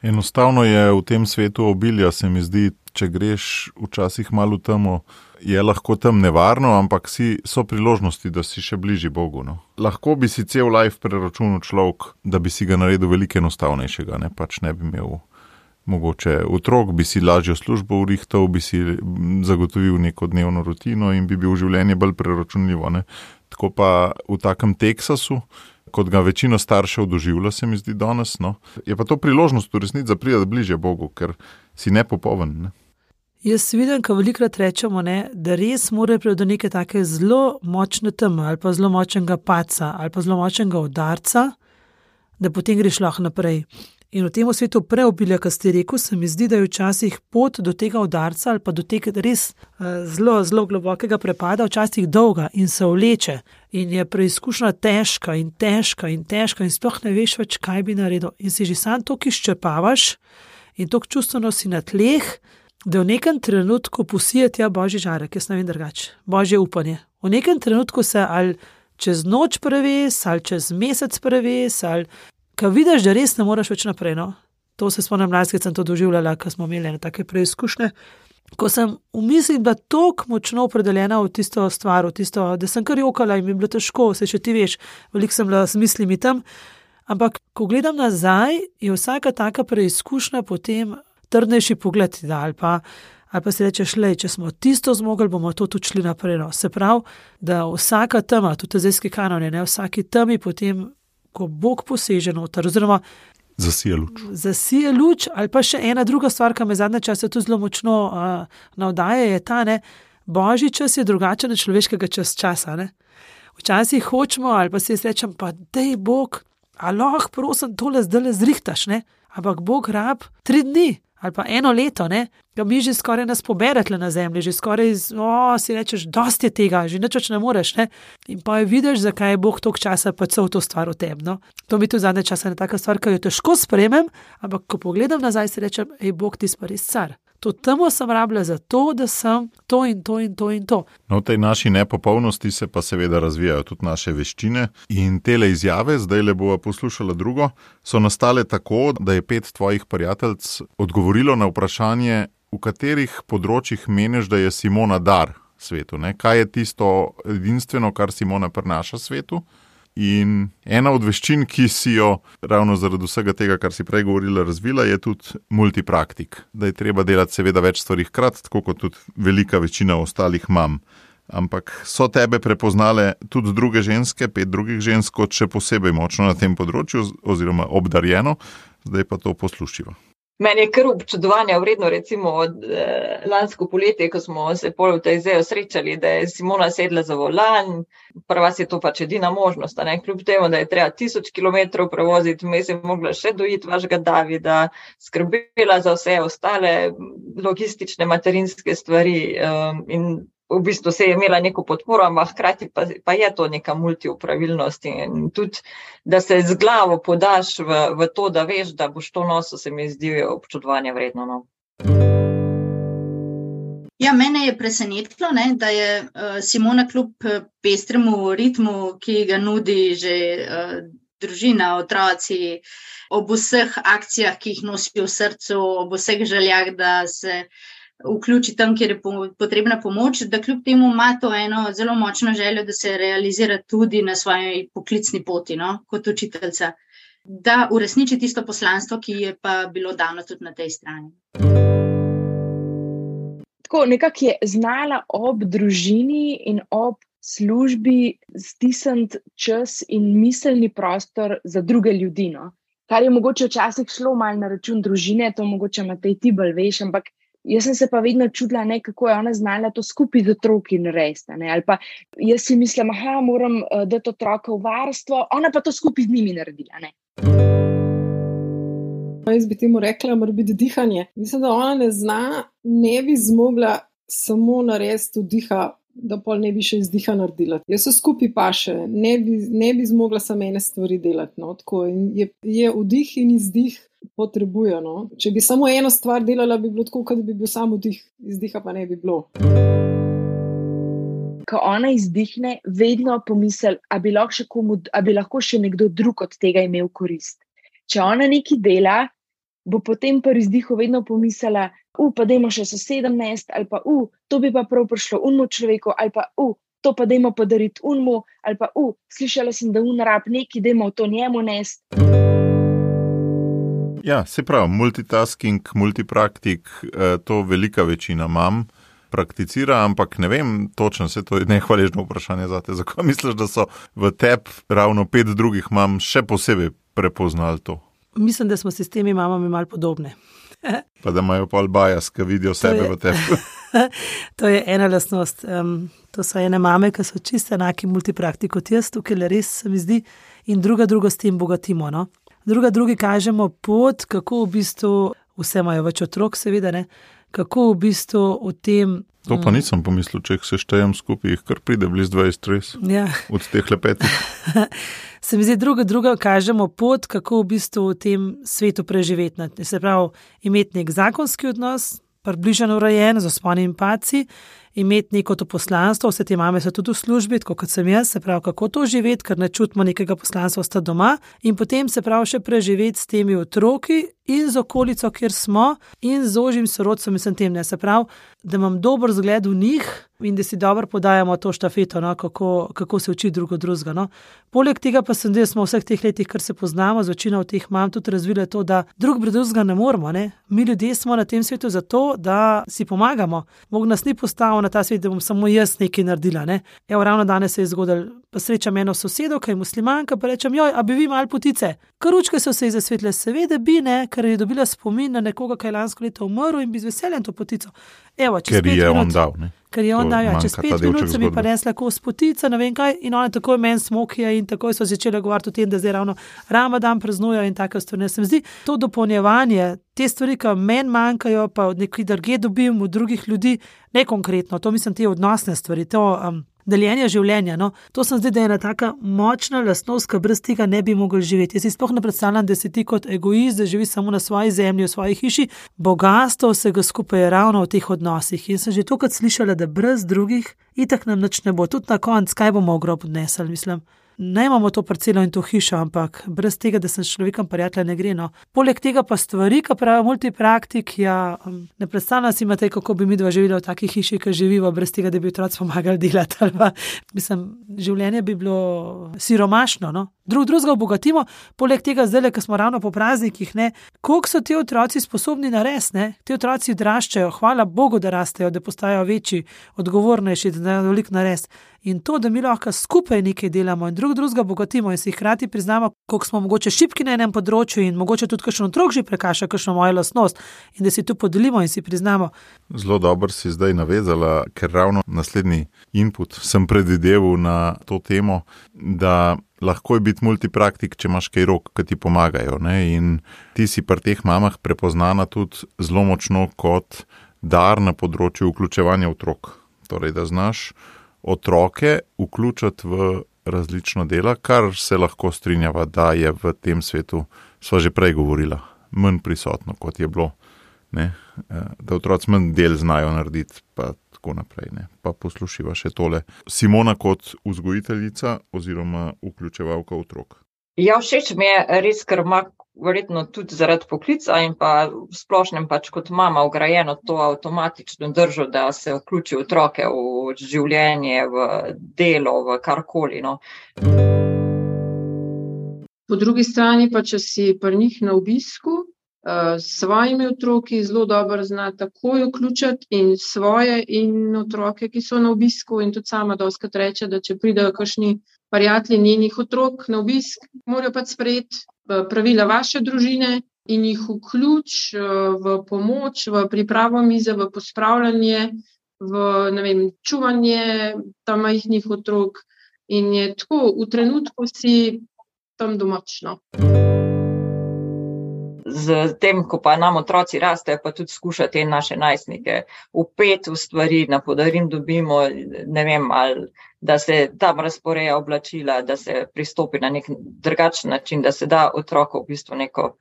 Enostavno je v tem svetu obilja, se mi zdi, če greš včasih malo v temo, je lahko tam nevarno, ampak si, so priložnosti, da si še bližji Bogu. No. Lahko bi si cel life preračunal človek, da bi si ga naredil veliko enostavnejšega, ne, pač ne bi imel mogoče otrok, bi si lažjo službo urihtal, bi si zagotovil neko dnevno rutino in bi bil življenje bolj preračunljivo. Ne. Tako pa v takem Teksasu, kot ga večino staršev doživlja, se mi zdi danes, no, je pa to priložnost v resnici, da pride bližje Bogu, ker si nepopoln, ne. Jaz vidim, ko velikrat rečemo, ne, da res mora priti do neke take zelo močne teme ali pa zelo močnega paca ali pa zelo močnega udarca, da potem greš lahko naprej. In v tem svetu preobilja, kar ste rekel, se mi zdi, da je včasih pot do tega udarca ali pa do tega res uh, zelo, zelo globokega prepada včasih dolga in se vleče in je preizkušnja težka in težka in težka in sploh ne veš več, kaj bi naredil. In si že sam toliko izčrpavaš in toliko čustveno si na tleh, da v nekem trenutku posije tja Božji žarek, jaz ne vem drugače, Božje upanje. V nekem trenutku se ali čez noč preves, ali čez mesec preves, ali ko vidiš, da res ne moraš več naprej. No? To se spomnim mladske, sem to doživljala, ko smo imeli take preizkušnje, ko sem v misli bila toliko močno opredeljena v tisto stvar, v tisto, da sem kar jokala in mi je bilo težko, se še ti veš, veliko sem bila s mislimi tam, ampak ko gledam nazaj, je vsaka taka preizkušnja potem trdnejši pogled, da, ali, pa, ali pa si rečeš, lej, če smo tisto zmogli, bomo to tudi šli naprej. No. Se pravi, da vsaka tema, tudi tezejski kanone, ne, vsaki temi potem, ko Bog poseže noter, oziroma Zasije luč. Zasije luč, ali pa še ena druga stvar, ki me zadnje čase tu zelo močno uh, navdaja, je ta, ne, božji čas je drugačen od človeškega čas časa. Ne. Včasih hočemo, ali pa si rečem, pa dej Bog, a lahko prosim tole zdaj zrihtaš, ne? Ampak Bog rab tri dni ali pa eno leto, ne? Ga mi že skoraj nas pobere tle na zemlji, že skoraj, o, si rečeš, dosti je tega, že nič več ne moreš, ne? In pa je vidiš, zakaj je Bog toliko časa pa cel to stvar v tem, no? To mi tu zadnje časa je taka stvar, ki jo težko sprejmem, ampak ko pogledam nazaj, si rečem, ej, Bog, ti si pa res car. To temo sem rabila za to, da sem to in to in to in to. No, v tej naši nepopolnosti se pa seveda razvijajo tudi naše veščine in tele izjave, zdaj le bova poslušala drugo, so nastale tako, da je pet tvojih prijateljc odgovorilo na vprašanje, v katerih področjih meniš, da je Simona dar svetu, ne? Kaj je tisto edinstveno, kar Simona prinaša svetu? In ena od veščin, ki si jo ravno zaradi vsega tega, kar si prej govorila, razvila, je tudi multipraktik. Da je treba delati seveda več stvari hkrati, tako kot tudi velika večina ostalih mam. Ampak so tebe prepoznale tudi druge ženske, pet drugih žensk, kot še posebej močno na tem področju oziroma obdarjeno. Zdaj pa to poslušiva. Meni je kar občudovanja vredno, recimo od eh, lansko poletje, ko smo se pol v tej zejo srečali, da je Simona sedla za volan, prva si je to pač edina možnost, ne? Kljub temu, da je treba tisoč kilometrov prevoziti, vmes je mogla še dojiti vašega Davida, skrbela za vse ostale logistične materinske stvari um, in v bistvu se je imela neko podporo, ampak hkrati pa, pa je to neka multiopravilnost in tudi, da se z glavo podaš v, v to, da veš, da boš to nosil, se mi zdi občudovanje vredno. No. Ja, mene je presenetilo, ne, da je uh, Simona kljub pestremu ritmu, ki ga nudi že uh, družina, otroci, ob vseh akcijah, ki jih nosi v srcu, ob vseh željah, da se vključi tam, kjer je potrebna pomoč, da kljub temu ima to eno zelo močno željo, da se realizira tudi na svoji poklicni poti, no, kot učiteljica, da uresniči tisto poslanstvo, ki je pa bilo dano tudi na tej strani. Tako nekako je znala ob družini in ob službi stisniti čas in miselni prostor za druge ljudi, no. Kar je mogoče včasih šlo malo na račun družine, to mogoče Matej ti bolj veš, ampak jaz sem se pa vedno čudila, ne, kako je ona znala to skupaj z otroki narediti, ne, ali pa jaz si mislim, aha, moram uh, dati otroka v varstvo, ona pa to skupaj z njimi naredila, ne. Jaz bi temu rekla, mora biti dihanje. Mislim, da ona ne zna, ne bi zmogla samo narediti vdiha, da pol ne bi še izdiha naredila. Jaz se skupaj paše, ne bi, ne bi zmogla samo ene stvari delati, no, tako je, je vdih in izdih potrebuje, no. Če bi samo eno stvar delala, bi bilo tako, kot bi bil samo vdih, izdiha pa ne bi bilo. Ko ona izdihne, vedno pomisli, a bi lahko še komu, a bi lahko še nekdo drug od tega imel korist. Če ona nekaj dela, bo potem pri izdihu vedno pomislila, u, pa dajmo še sosedem nest, ali pa, u, to bi pa prav prišlo unmu človeku, ali pa, u, to pa dajmo podariti unmu, ali pa, u, slišala sem, da un rab neki, dajmo to njemu nest. Ja, se pravi, multitasking, multipraktik, to velika večina mam prakticira, ampak ne vem, točno se to je nehvaležno vprašanje zate. Zakaj misliš, da so v tebi ravno pet drugih mam še posebej prepoznali to? Mislim, da smo si s temi mamami malo podobne. Pa da imajo pol bias, ki vidijo sebe v tebi. To je ena lastnost. Um, to so ene mame, ki so čisto enaki multipraktik kot jaz, tukaj res se mi zdi, in druga drugo s tem bogatimo, no. Druga drugi kažemo pot, kako v bistvu, vse imajo več otrok seveda, ne, kako v bistvu v tem... To pa nisem pomislil, če jih se štejem skupaj, jih kar pride bliz dvajset res, ja. Od teh lepetih. Se mi zdi, druga druga kažemo pot, kako v bistvu v tem svetu preživeti. Se pravi, imeti nek zakonski odnos, približno urejen, z vzponi in padci, imeti neko to poslanstvo, vse te mame so tudi v službi, tako kot sem jaz, se pravi, kako to živeti, ker ne čutimo nekega poslanstva ostati doma in potem se pravi še preživeti s temi otroki in z okolico, kjer smo in z ožjim sorodcem in sem tem, ne, se pravi, da imam dober zgled v njih in da si dobro podajamo to štafeto, no, kako, kako se uči drugo drugega. No. Poleg tega pa sem, da smo v vseh teh letih, kar se poznamo, z večino teh mam tudi razvile to, da drug drugega ne moramo. Ne. Mi ljudje smo na tem svetu zato, da si pomagamo. Bog nas ni postavil na ta svet, da bom samo jaz nekaj naredila. Ne. Evo, ravno danes se je zgodilo, pa srečam eno sosedo, ki je muslimanka, pa rečem, joj, a bi vi malo potice? Karučke so se ji zasvetle, seveda bi, ne, ker je dobila spomin na nekoga, ki je lansko leto umrl in bi z veseljem to potico. Evo, ker je minut, on dal, ne? Ker je on dal, ja, čez pet minut se mi pa resla kos potica, ne vem kaj, in ona takoj meni smokija in takoj so začeli govoriti o tem, da zdaj ravno Ramadan praznujejo in tako stvari. Se mi zdi to dopolnjevanje, te stvari, ki meni manjkajo, pa od nekaj drugih dobim, od drugih ljudi, ne konkretno, to mislim te odnosne stvari, to um, deljenje življenja. No. To sem zdaj, da je ena taka močna lastnost, ki brez tega ne bi mogli živeti. Jaz si sploh ne predstavljam, da si ti kot egoist, da živi samo na svoji zemlji, v svoji hiši. Bogastvo vsega skupaj je ravno v teh odnosih. In sem že tokrat slišala, da brez drugih itak nam nič ne bo. Tudi na koncu, kaj bomo v grob odnesli, mislim. Ne imamo to parcelo in to hišo, ampak brez tega, da sem s človekom prijatelj, ne gre. No. Poleg tega pa stvari, ki pravi multipraktik, ja, ne predstavljam si, Matej, kako bi mi dva živela v taki hiši, ki živiva, brez tega, da bi otroci pomagali delati. Ali pa, mislim, življenje bi bilo siromašno. No. Drug drugega obogatimo, poleg tega zdaj, ko smo ravno po praznikih, ne, koliko so ti otroci sposobni narediti, ne? Ti otroci odraščajo, hvala Bogu, da rastejo, da postajajo večji, odgovornejši, da ne veliko narediti. In to, da mi lahko skupaj nekaj delamo in drug drugega bogatimo in si hkrati priznamo, koliko smo mogoče šibki na enem področju in mogoče tudi kakšen otrok že prekaša kakšno mojo lastnost in da si tu podelimo in si priznamo. Zelo dobro si zdaj navezala, ker ravno naslednji input sem predvideval na to temo, da lahko je biti multipraktik, če imaš kaj rok, ki ti pomagajo. Ne? In ti si pri teh mamah prepoznana tudi zelo močno kot dar na področju vključevanja otrok. Torej, da znaš otroke vključiti v različna dela, kar se lahko strinjava, da je v tem svetu, sva že prej govorila, manj prisotno, kot je bilo. Ne? Da otroci manj del znajo narediti, pa tako naprej. Ne? Pa poslušiva še tole. Simona kot vzgojiteljica oziroma vključevalka otrok. Ja, všeč mi je res, ker ima verjetno tudi zaradi poklica in pa v splošnem pač kot mama vgrajeno to avtomatično držo, da se vključi otroke v življenje, v delo, v karkoli. No. Po drugi strani pa, če si pri njih na obisku, s svojimi otroki zelo dobro zna takoj vključiti in svoje in otroke, ki so na obisku, in tudi sama dostikrat reče, da če pridejo kakšni prijatelji njenih otrok na obisk, morajo pač sprejeti pravila vaše družine in jih vključ v pomoč, v pripravo mize, v pospravljanje, v ne vem, čuvanje tam majhnih otrok in je tako, v trenutku si tam domačno. Z tem, ko pa nam otroci rastejo, pa tudi skušati te naše najstnike vpeti v stvari, na podarim dobimo, ne vem, ali da se tam razporeja oblačila, da se pristopi na nek drugačen način, da se da otroku v bistvu neko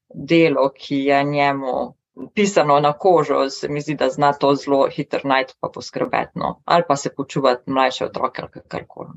delo, ki je njemu pisano na kožo, se mi zdi, da zna to zelo hitro najti pa poskrbeti, no. Ali pa se počuvati mlajše otroke ali karkoli.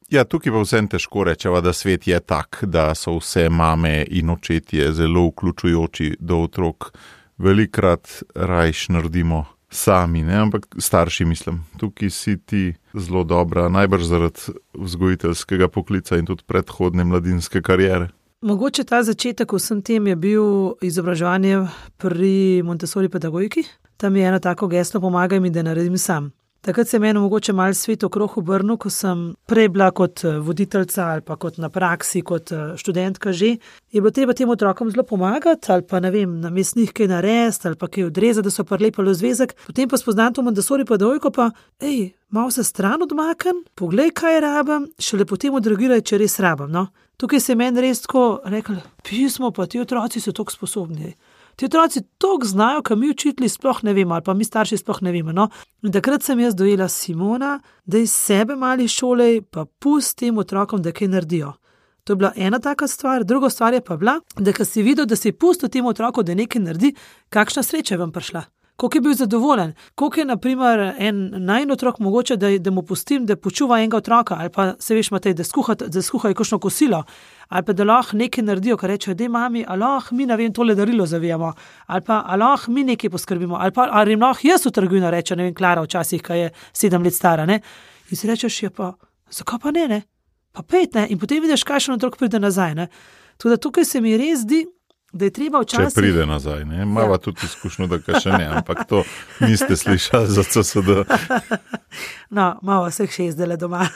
Ja, tukaj pa vsem težko rečeva, da svet je tak, da so vse mame in očetje zelo vključujoči do otrok. Velikrat rajš naredimo sami, ne? Ampak starši mislim. Tukaj si ti zelo dobra, najbrž zaradi vzgojiteljskega poklica in tudi predhodne mladinske kariere. Mogoče ta začetek vsem tem je bil izobraževanje pri Montessori pedagogiki. Tam je eno tako geslo, pomagaj mi, da naredim sam. Takrat se je meni mogoče malo svet okrog obrnil, ko sem prej bila kot voditeljca ali pa kot na praksi, kot študentka že. Je bilo treba tem otrokom zelo pomagati ali pa ne vem, namesto njih kaj narediti ali pa kaj odrezati, da so prilepili v zvezek. Potem pa spoznam to Montessori pedagogiko pa, ej, malo se stran odmaknem, poglej, kaj rabim, šele potem odreagiraj, če res rabim. No? Tukaj se je meni res tako rekli, pismo, pa ti otroci so toliko sposobni. Ti otroci toliko znajo, ka mi učitelji sploh ne vemo, ali pa mi starši sploh ne vemo. No? In takrat sem jaz dojela Simona, da iz sebe mali šolej, pa pusti tem otrokom, da kaj naredijo. To je bila ena taka stvar, druga stvar je pa bila, da ko si videl, da si pustil tem otrokom, da nekaj naredi, kakšna sreča je vam prišla. koliko je bil zadovoljen, koliko je naprimer en najin otrok mogoče, da, da mu pustim, da počuva enega otroka, ali pa se veš, Matej, da skuhajo da skuha kakšno kosilo, ali pa da lahko nekaj naredijo, kar rečejo, dej mami, ali lahko mi, ne vem, tole darilo zavijamo, ali pa ali lahko mi nekaj poskrbimo, ali pa ali jim lahko jaz v trgovino reče, ne vem, Klara včasih, ko je sedem let stara, ne, in si rečeš, je pa, zakaj pa ne, ne, pa pet, ne, in potem vidiš, kakšen otrok pride nazaj, ne, tako da tukaj se mi res zdi, da je treba včasih... Če pride nazaj, ne? Mava ja. Tudi izkušnjo, da ka še ne, ampak to niste slišali za C S D. No, malo vseh še izdele doma.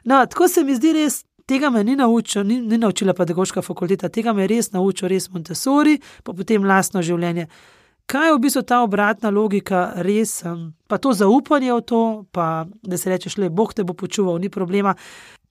No, tako se mi zdi res, tega me ni naučil, ni, ni naučila pedagoška fakulteta, tega me je res naučil, res Montessori, pa potem lastno življenje. Kaj je v bistvu ta obratna logika, res, pa to zaupanje v to, pa da se rečeš, le, Bog te bo počuval, ni problema.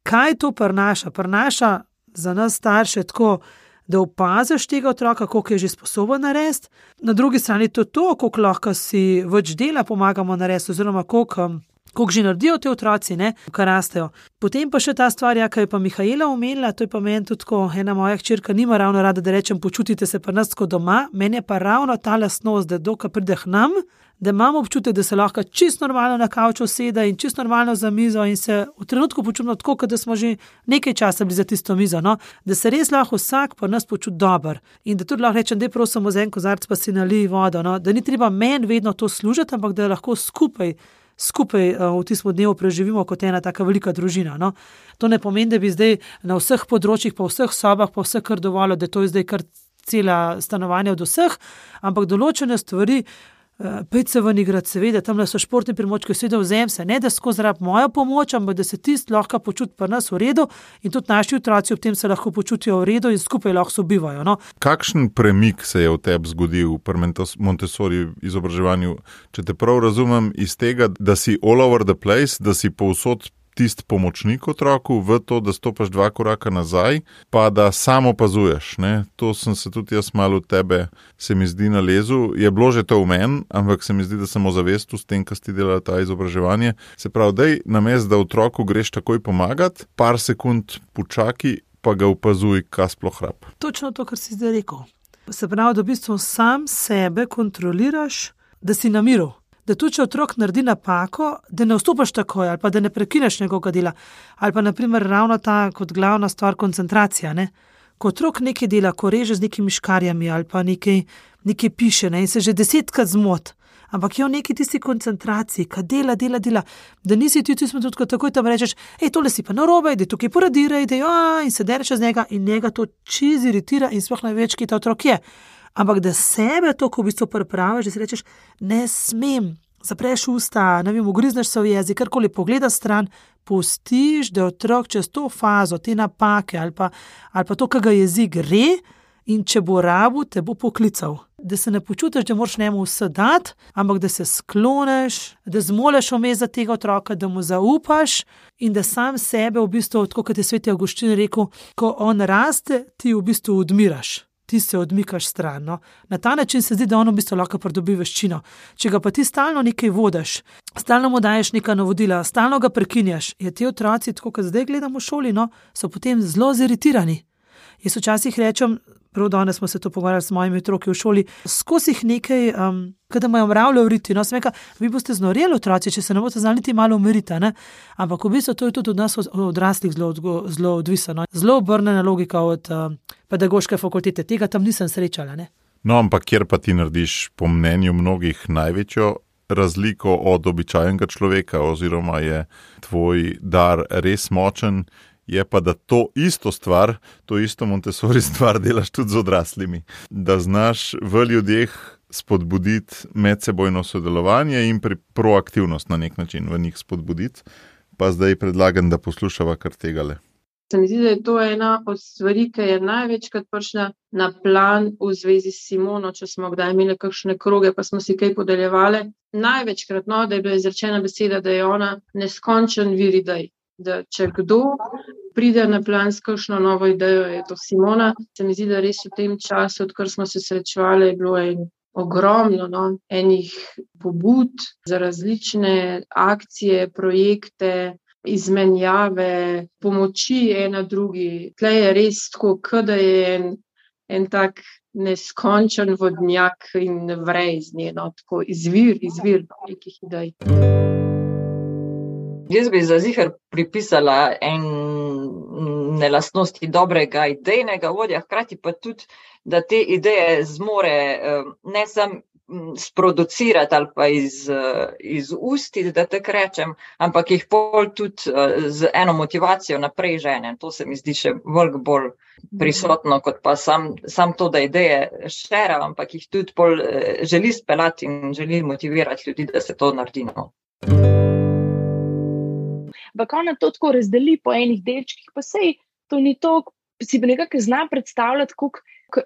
Kaj to prinaša? Prinaša za nas starše tako, da opaziš tega otroka, koliko je že sposoben narediti. Na drugi strani to to, koliko lahko si več dela pomagamo narediti, oziroma koliko, koliko že naredijo te otroci, ne, kar rastejo. Potem pa še ta stvar, ja, ki je pa Mihaela omenila, to je pa meni tudi tako, ena moja hčerka nima ravno rada, da rečem, počutite se pa nas tako doma, meni je pa ravno ta lastnost, da dokaj pride k nam, da imamo občutek, da se lahko čisto normalno na kavču usede in čisto normalno za mizo in se v trenutku počutimo tako, kot da smo že nekaj časa bili za tisto mizo, no? Da se res lahko vsak pa nas počuti dober in da tudi lahko rečem, da je prosim za en kozarc pa si nalij vodo, no? Da ni treba meni vedno to služiti, ampak da lahko skupaj, skupaj uh, v tistem dnevu preživimo kot ena taka velika družina. No? To ne pomeni, da bi zdaj na vseh področjih, pa vseh sobah, pa vse kar dovolj, da to je zdaj kar cela stanovanja od vseh, ampak določene stvari, pejte se ven igrati, seveda, tam so športni primočki, seveda vzem se, ne da skozi rab mojo pomoč, ampak da se tist lahko počuti pri nas v redu in tudi naši otroci ob tem se lahko počutijo v redu in skupaj lahko sobivajo. No? Kakšen premik se je v tebi zgodil pri Montessori izobraževanju? Če te prav razumem, iz tega, da si all over the place, da si povsod tisti pomočnik otroku v to, da stopaš dva koraka nazaj, pa da samo opazuješ. Ne? To sem se tudi jaz malo od tebe, se mi zdi, nalezel. Je bilo že to v meni, ampak se mi zdi, da sem ozavestil s tem, kar si delala ta izobraževanje. Se pravi, dej, namesto da otroku greš takoj pomagati, par sekund počaki, pa ga opazuj, kaj sploh rab. Točno to, kar si zdaj rekel. Se pravi, da v bistvu sam sebe kontroliraš, da si na miru. Da tudi, če otrok naredi napako, da ne vstopaš takoj ali pa da ne prekineš njegovega dela. Ali pa naprimer ravno ta kot glavna stvar koncentracija. Ne? Ko otrok nekaj dela, ko reže z nekimi škarjami ali pa nekaj, nekaj piše, ne? In se že desetkrat zmot, ampak je v neki tisti koncentraciji, ka dela, dela, dela, da nisi ti tudi tudi, ko takoj tam rečeš, ej, tole si pa narobe, da tukaj poradiraj, da jo, in se dereš z njega in njega to čiz iritira in sploh največ, ki ta otrok je. Ampak da sebe to, ko v bistvu pripraviš, da si rečeš, ne smem, zapreš usta, ne vem, ugrizneš se v jezik, karkoli pogledaš stran, pustiš, da otrok čez to fazo, te napake ali pa, ali pa to, kaj ga jezik gre in če bo rabu, te bo poklical. Da se ne počutiš, da moraš njemu vse dati, ampak da se skloneš, da zmoleš vmes za tega otroka, da mu zaupaš in da sam sebe v bistvu, tako kot je sveti Avguštin rekel, ko on raste, ti v bistvu odmiraš. Ti se odmikaš stran. No? Na ta način se zdi, da on v bistvu lahko pridobi veščino. Če ga pa ti stalno nekaj vodiš, stalno mu daješ neka navodila, stalno ga prekinjaš, je ti otroci, tako kot zdaj gledamo v šoli, no, so potem zelo ziritirani. Jaz včasih rečem, prav danes smo se to pogovarjali s mojimi otroki v šoli, skozi jih nekaj, um, kada imajo mravlje vriti, no, smeka, vi boste znoreli otroci, če se ne boste znali niti malo umiriti, ne? Ampak v bistvu to je tudi od nas odraslih zelo, zelo odvisno, no? Zelo obrnjena logika od um, pedagoške fakultete, tega tam nisem srečala, ne? No, ampak kjer pa ti narediš po mnenju mnogih največjo razliko od običajnega človeka, oziroma je tvoj dar res močen, je pa, da to isto stvar, to isto Montessori stvar delaš tudi z odraslimi. Da znaš v ljudeh spodbuditi medsebojno sodelovanje in pri proaktivnost na nek način v njih spodbuditi. Pa zdaj predlagam, da poslušava kar tegale. Se mi zdi, da je to ena od stvari, ki je največkrat prišla na plan v zvezi s Simono, če smo kdaj imeli kakšne kroge, pa smo si kaj podeljevali. Največkrat, no, da je bila izrečena beseda, da je ona neskončen vir idej. Da če kdo pride na plan s kakšno novo idejo, je to Simona. Se mi zdi, da res v tem času, odkar smo se srečevali, je bilo en ogromno no, enih pobud za različne akcije, projekte, izmenjave, pomoči ena drugi. Tle je res tako, da je en, en tak neskončen vodnjak in vre iz nje, no, tako izvir, izvir nekih idej. Jaz bi za ziher pripisala ene lastnosti dobrega idejnega vodja, hkrati pa tudi, da te ideje zmore ne samo sproducirati ali pa iz, iz usti, da tako rečem, ampak jih pol tudi z eno motivacijo naprej žene. To se mi zdi še veliko bolj prisotno, kot pa sam, sam to, da ideje šera, ampak jih tudi pol želi speljati in želi motivirati ljudi, da se to naredi. No. Ampak ona to tako razdeli po enih delčkih, pa sej to ni to, si pa nekako zna predstavljati, koliko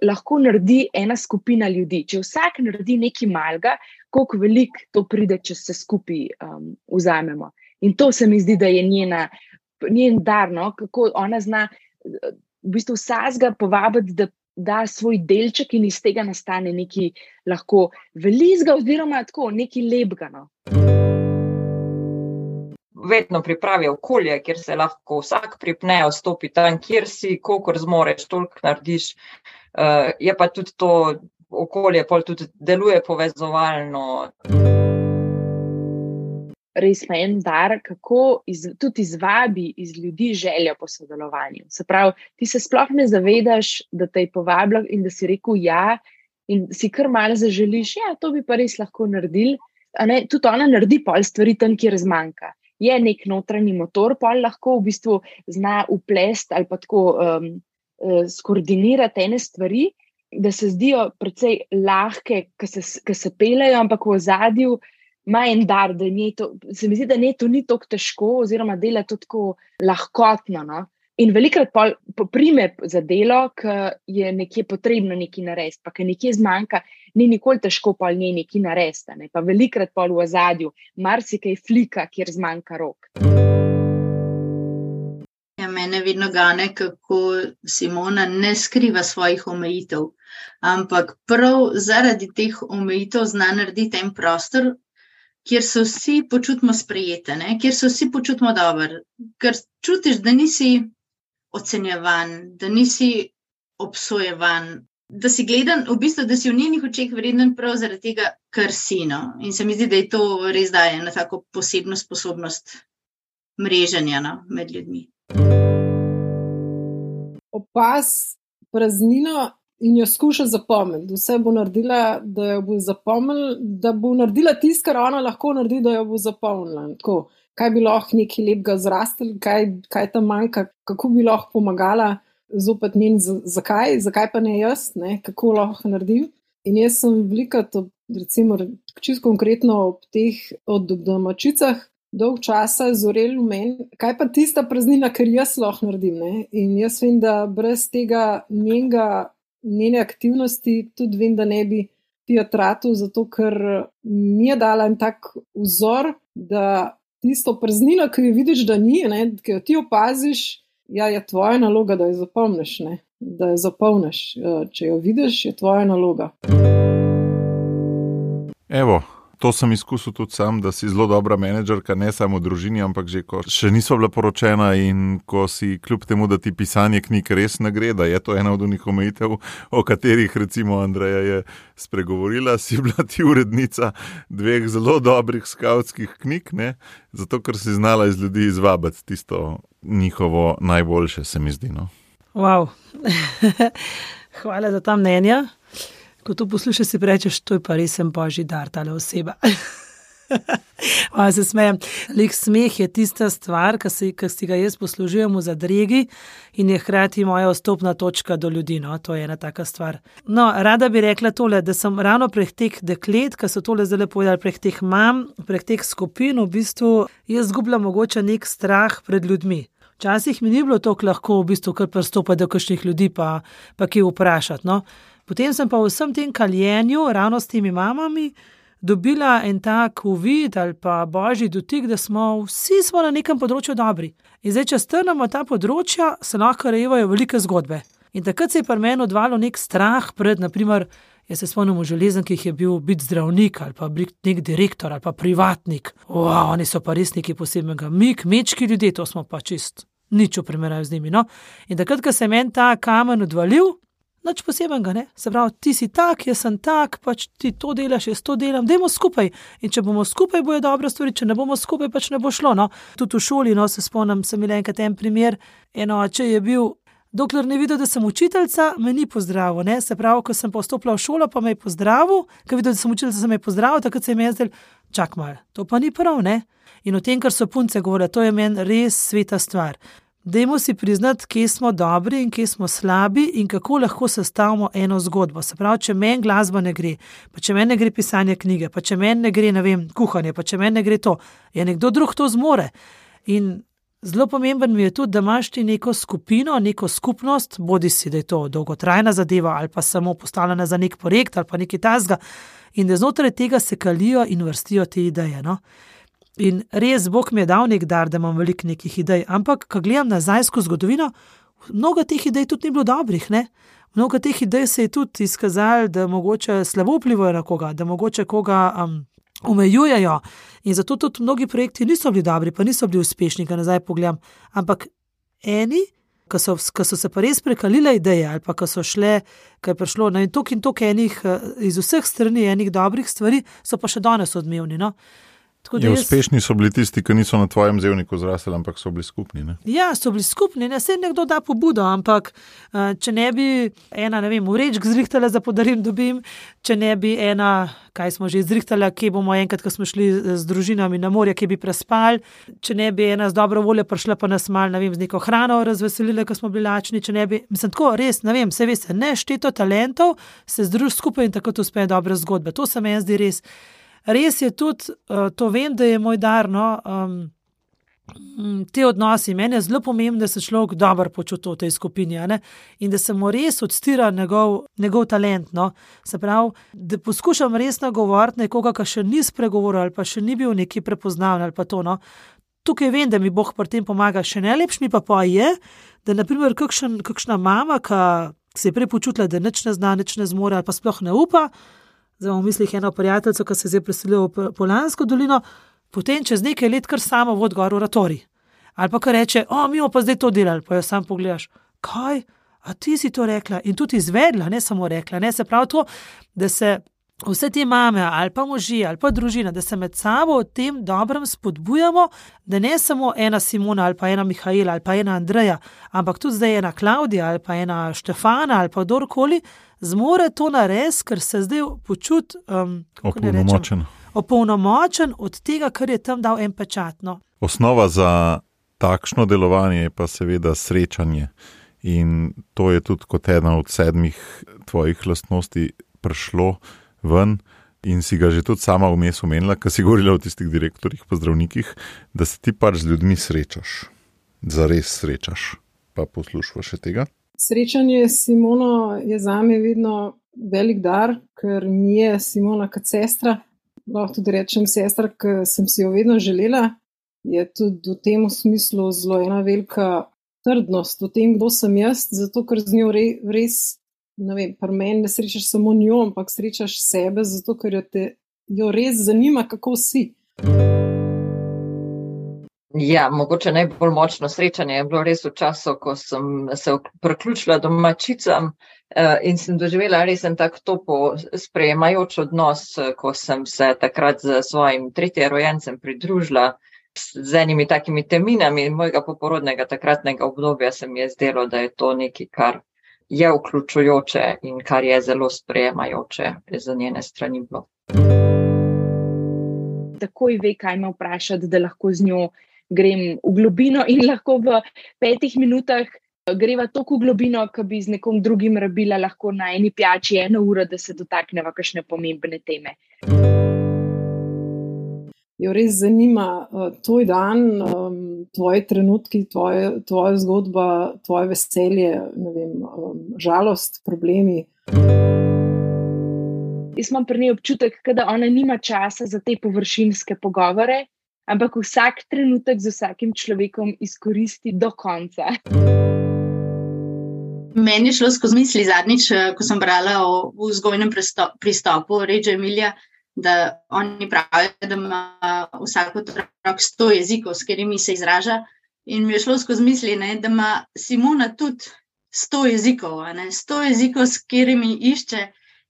lahko naredi ena skupina ljudi. Če vsak naredi nekaj malega, koliko veliko to pride, če se skupaj um, vzamemo. In to se mi zdi, da je njena, njen dar, no? Kako ona zna v bistvu vsakega povabiti, da da svoj delček in iz tega nastane nekaj lahko velikega oziroma tako, nekaj lepega. No? Vedno pripravi okolje, kjer se lahko vsak pripne, vstopi tam, kjer si, kolikor zmoreš, toliko narediš. Uh, je pa tudi to okolje, pol tudi deluje povezovalno. Res pa en dar, kako iz, tudi izvabi iz ljudi željo po sodelovanju. Se pravi, ti se sploh ne zavedaš, da te je povabila in da si rekel ja in si kar malo zaželiš, ja, to bi pa res lahko naredili. A ne, tudi ona naredi pol stvari tam, kjer zmanjka. Je nek notranji motor, pol lahko v bistvu zna uplest ali pa tako um, skoordinirati ene stvari, da se zdijo precej lahke, ki se, ki se pelejo, ampak v ozadju ima en dar, da nje to, se mi zdi, da nje to ni tako težko oziroma dela to tako lahkotno. No? In velikrat pol poprime za delo, ki je nekje potrebno nekaj narediti, pa ki nekje zmanjka, ni nikoli težko pol nje nekaj narediti. Ne? Pa velikrat pol v ozadju, marsikaj flika, kjer zmanjka rok. Ja, mene vedno gane, kako Simona ne skriva svojih omejitev, ampak prav zaradi teh omejitev zna narediti en prostor, kjer se vsi počutimo sprejete, ne? Kjer se vsi počutimo dobro, ker čutiš, da nisi ocenjevan, da nisi obsojevan, da si gledan, v bistvu, da si v njenih očeh vreden prav zaradi tega, kar si. No? In se mi zdi, da je to res daje na tako posebno sposobnost mreženja, no, med ljudmi. Opaz praznino in jo skuša zapomniti. Vse bo naredila, da jo bo zapomnila, da bo naredila tisto, kar ona lahko naredi, da jo bo zapomnila. Tako, kaj bi lahko nekaj lepega zrastel, kaj, kaj tam manjka, kako bi lahko pomagala zopet njen, zakaj, zakaj pa ne jaz, ne, kako lahko naredim. In jaz sem velikrat, recimo, čisto konkretno ob teh od domačicah, dolg časa zorel v meni, kaj pa tista praznina, ker jaz lahko naredim. Ne? In jaz vem, da brez tega njenega, njene aktivnosti tudi vem, da ne bi teatratu, zato ker mi je dala en tak vzor, da tisto praznino, ki jo vidiš, da ni, ne, ki jo ti opaziš, ja, je tvoja naloga, da jo zapomniš, ne? Da jo zapomniš. Če jo vidiš, je tvoja naloga. Evo, to sem izkusil tudi sam, da si zelo dobra menedžerka, ne samo v družini, ampak že ko še niso bila poročena in ko si kljub temu, da ti pisanje knjig res ne gre, da je to ena od unih omejitev, o katerih recimo Andreja je spregovorila, si bila ti urednica dveh zelo dobrih skavtskih knjig, ne? Zato ker si znala iz ljudi izvabiti tisto njihovo najboljše, se mi zdi. No? Wow. Hvala za ta mnenja. Ko to poslušaš, si rečeš, to je pa res en božji dar, tale oseba. Malo se smejem. Lik smeh je tista stvar, ki si, ki si ga jaz poslužujem v zadregi in je hkrati moja vstopna točka do ljudi. No? To je ena taka stvar. No, rada bi rekla tole, da sem ravno prek teh deklet, ki so tole zdaj povedali, prek teh mam, prek teh skupin, v bistvu jaz zgubljam mogoče nek strah pred ljudmi. Včasih mi ni bilo toliko lahko v bistvu kar pristopati do kakšnih ljudi pa, pa kje vprašati. No? Potem sem pa v vsem tem kaljenju, ravno s temi mamami, dobila en tak uvid ali pa božji dotik, da smo vsi smo na nekem področju dobri. In zdaj, če strnemo ta področja, se lahko rejevajo velike zgodbe. In takrat se je pri meni odvalil nek strah pred, naprimer, jaz se spomnim v železniki, ki je bil biti zdravnik ali pa nek direktor ali pa privatnik. Wow, oni so pa res nekaj posebnega. Mi, kmečki ljudje, to smo pa čist nič v primerjavi z njimi. No? In takrat, ko se meni ta kamen odvalil, nič posebenega, ne? Se pravi, ti si tak, jaz sem tak, pač ti to delaš, jaz to delam, dajmo skupaj. In če bomo skupaj, bojo dobre stvari, če ne bomo skupaj, pač ne bo šlo, no. Tudi v šoli, no, se spomnim, sem imel enkrat en primer, eno oče je bil, dokler ne videl, da sem učiteljica, me ni pozdravil, ne. Se pravi, ko sem postopila v šolo, pa me je pozdravil, ko videl, da sem učiteljica, sem me pozdravil, takrat se je zdel, čak malo, to pa ni prav, ne. In o tem, kar so punce govorile, to je meni res sveta stvar. Dajmo si priznati, kje smo dobri in kje smo slabi in kako lahko sestavimo eno zgodbo. Se pravi, če meni glasba ne gre, pa če meni ne gre pisanje knjige, pa če meni ne gre, ne vem, kuhanje, pa če meni ne gre to, je nekdo drug to zmore. In zelo pomemben mi je tudi, da imaš ti neko skupino, neko skupnost, bodi si, da je to dolgotrajna zadeva ali pa samo postavljena za nek projekt ali pa nekaj tasga, in da znotraj tega se kalijo in vrstijo te ideje, no. In res, Bog mi je dal nek dar, da imam veliko nekih idej, ampak, ko gledam nazaj skozi zgodovino, mnogo teh idej tudi ni bilo dobrih, ne? Mnogo teh idej se je tudi izkazalo, da mogoče slabo vplivajo na koga, da mogoče koga um, omejujejo in zato tudi mnogi projekti niso bili dobri, pa niso bili uspešni, ko nazaj pogledam, ampak eni, ko so, ko so se pa res prekalile ideje ali pa ko so šle, ko je prišlo na tok in tok enih, iz vseh strani enih dobrih stvari, so pa še danes odmevni, no? Je, jaz... Uspešni so bili tisti, ki niso na tvojem zevniku zrasli, ampak so bili skupni, ne? Ja, so bili skupni, ne, se nekdo da pobudo, ampak če ne bi ena, ne vem, vrečk zrihtala za podarim dobim, če ne bi ena, kaj smo že zrihtala, kje bomo enkrat, ko smo šli z družinami na morje, kje bi prespali, če ne bi ena z dobro voljo prišla pa nas mal, ne vem, z neko hrano razveselila, ko smo bili lačni, če ne bi, mislim, tako res, ne vem, se veste, nešteto talentov se združ skupaj in tako to uspejo dobre zgodbe, to se meni zdi res. Res je tudi, to vem, da je moj dar, no, um, te odnosi. Meni je zelo pomembno, da se človek dobro počuti v tej skupini, ne? In da se mu res odstira njegov, njegov talent, no. Se pravi, da poskušam res nagovoriti nekoga, ki še ni spregovoril ali pa še ni bil neki prepoznaven ali pa to, no. Tukaj vem, da mi Bog pri tem pomaga, še najlepši pa pa je, da naprimer kakšen, kakšna mama, ki se je prej počutila, da nič ne zna, nič ne zmore ali pa sploh ne upa, zdaj v mislih eno prijateljico, ki se je zdaj preselila v Poljansko dolino, potem čez nekaj let kar samo vod gor v oratorij. Ali pa kar reče, o, mi bomo pa zdaj to delali, pa jo sam pogledaš, kaj, a ti si to rekla in tudi izvedla, ne samo rekla, ne, se pravi to, da se vse te mame ali pa možje ali pa družina, da se med sabo o tem dobrem spodbujamo, da ne samo ena Simona ali pa ena Mihaela ali pa ena Andreja, ampak tudi zdaj ena Klavdija ali pa ena Štefana ali pa kdorkoli, zmore to narediti, ker se zdaj počuti um, opolnomočen. opolnomočen od tega, kar je tam dal en pečat. No. Osnova za takšno delovanje je pa seveda srečanje in to je tudi kot ena od sedmih tvojih lastnosti prišlo ven in si ga že tudi sama vmes omenila, ko si govorila o tistih direktorjih pa zdravnikih, da se ti pač z ljudmi srečaš, zares srečaš, pa poslušaš še tega. Srečanje s Simono je zame vedno velik dar, ker mi je Simona kot sestra, lahko tudi rečem sestra, ki sem si jo vedno želela, je tudi v tem smislu zelo ena velika trdnost v tem, kdo sem jaz, zato ker z njo res, ne vem, pri meni ne srečaš samo njo, ampak srečaš sebe, zato ker jo, te, jo res zanima, kako si. Ja, mogoče najbolj močno srečanje je bilo res v času, ko sem se priključila domačicam in sem doživela res en tak topo sprejemajoč odnos, ko sem se takrat z svojim tretjerojencem pridružila z enimi takimi teminami mojega poporodnega takratnega obdobja, se mi je zdelo, da je to nekaj, kar je vključujoče in kar je zelo sprejemajoče za njene strani bilo. Takoj ve, kaj me vprašati, da lahko z njo grem v globino in lahko v petih minutah greva toliko v globino, ki bi z nekom drugim rabila lahko na eni pijači eno uro, da se dotakneva kakšne pomembne teme. Jo res zanima uh, tvoj dan, um, tvoji trenutki, tvoje, tvoja zgodba, tvoje veselje, ne vem, um, žalost, problemi. Jaz imam pri njej občutek, da ona nima časa za te površinske pogovore, ampak vsak trenutek z vsakim človekom izkoristi do konca. Meni je šlo skozi misli zadnjič, ko sem brala o vzgojnem pristopu Reggio Emilia, da oni pravijo, da ima vsak otrok sto jezikov, s katerimi se izraža. In mi je šlo skozi misli, ne, da ima Simona tudi sto jezikov, a ne, sto jezikov, s katerimi išče,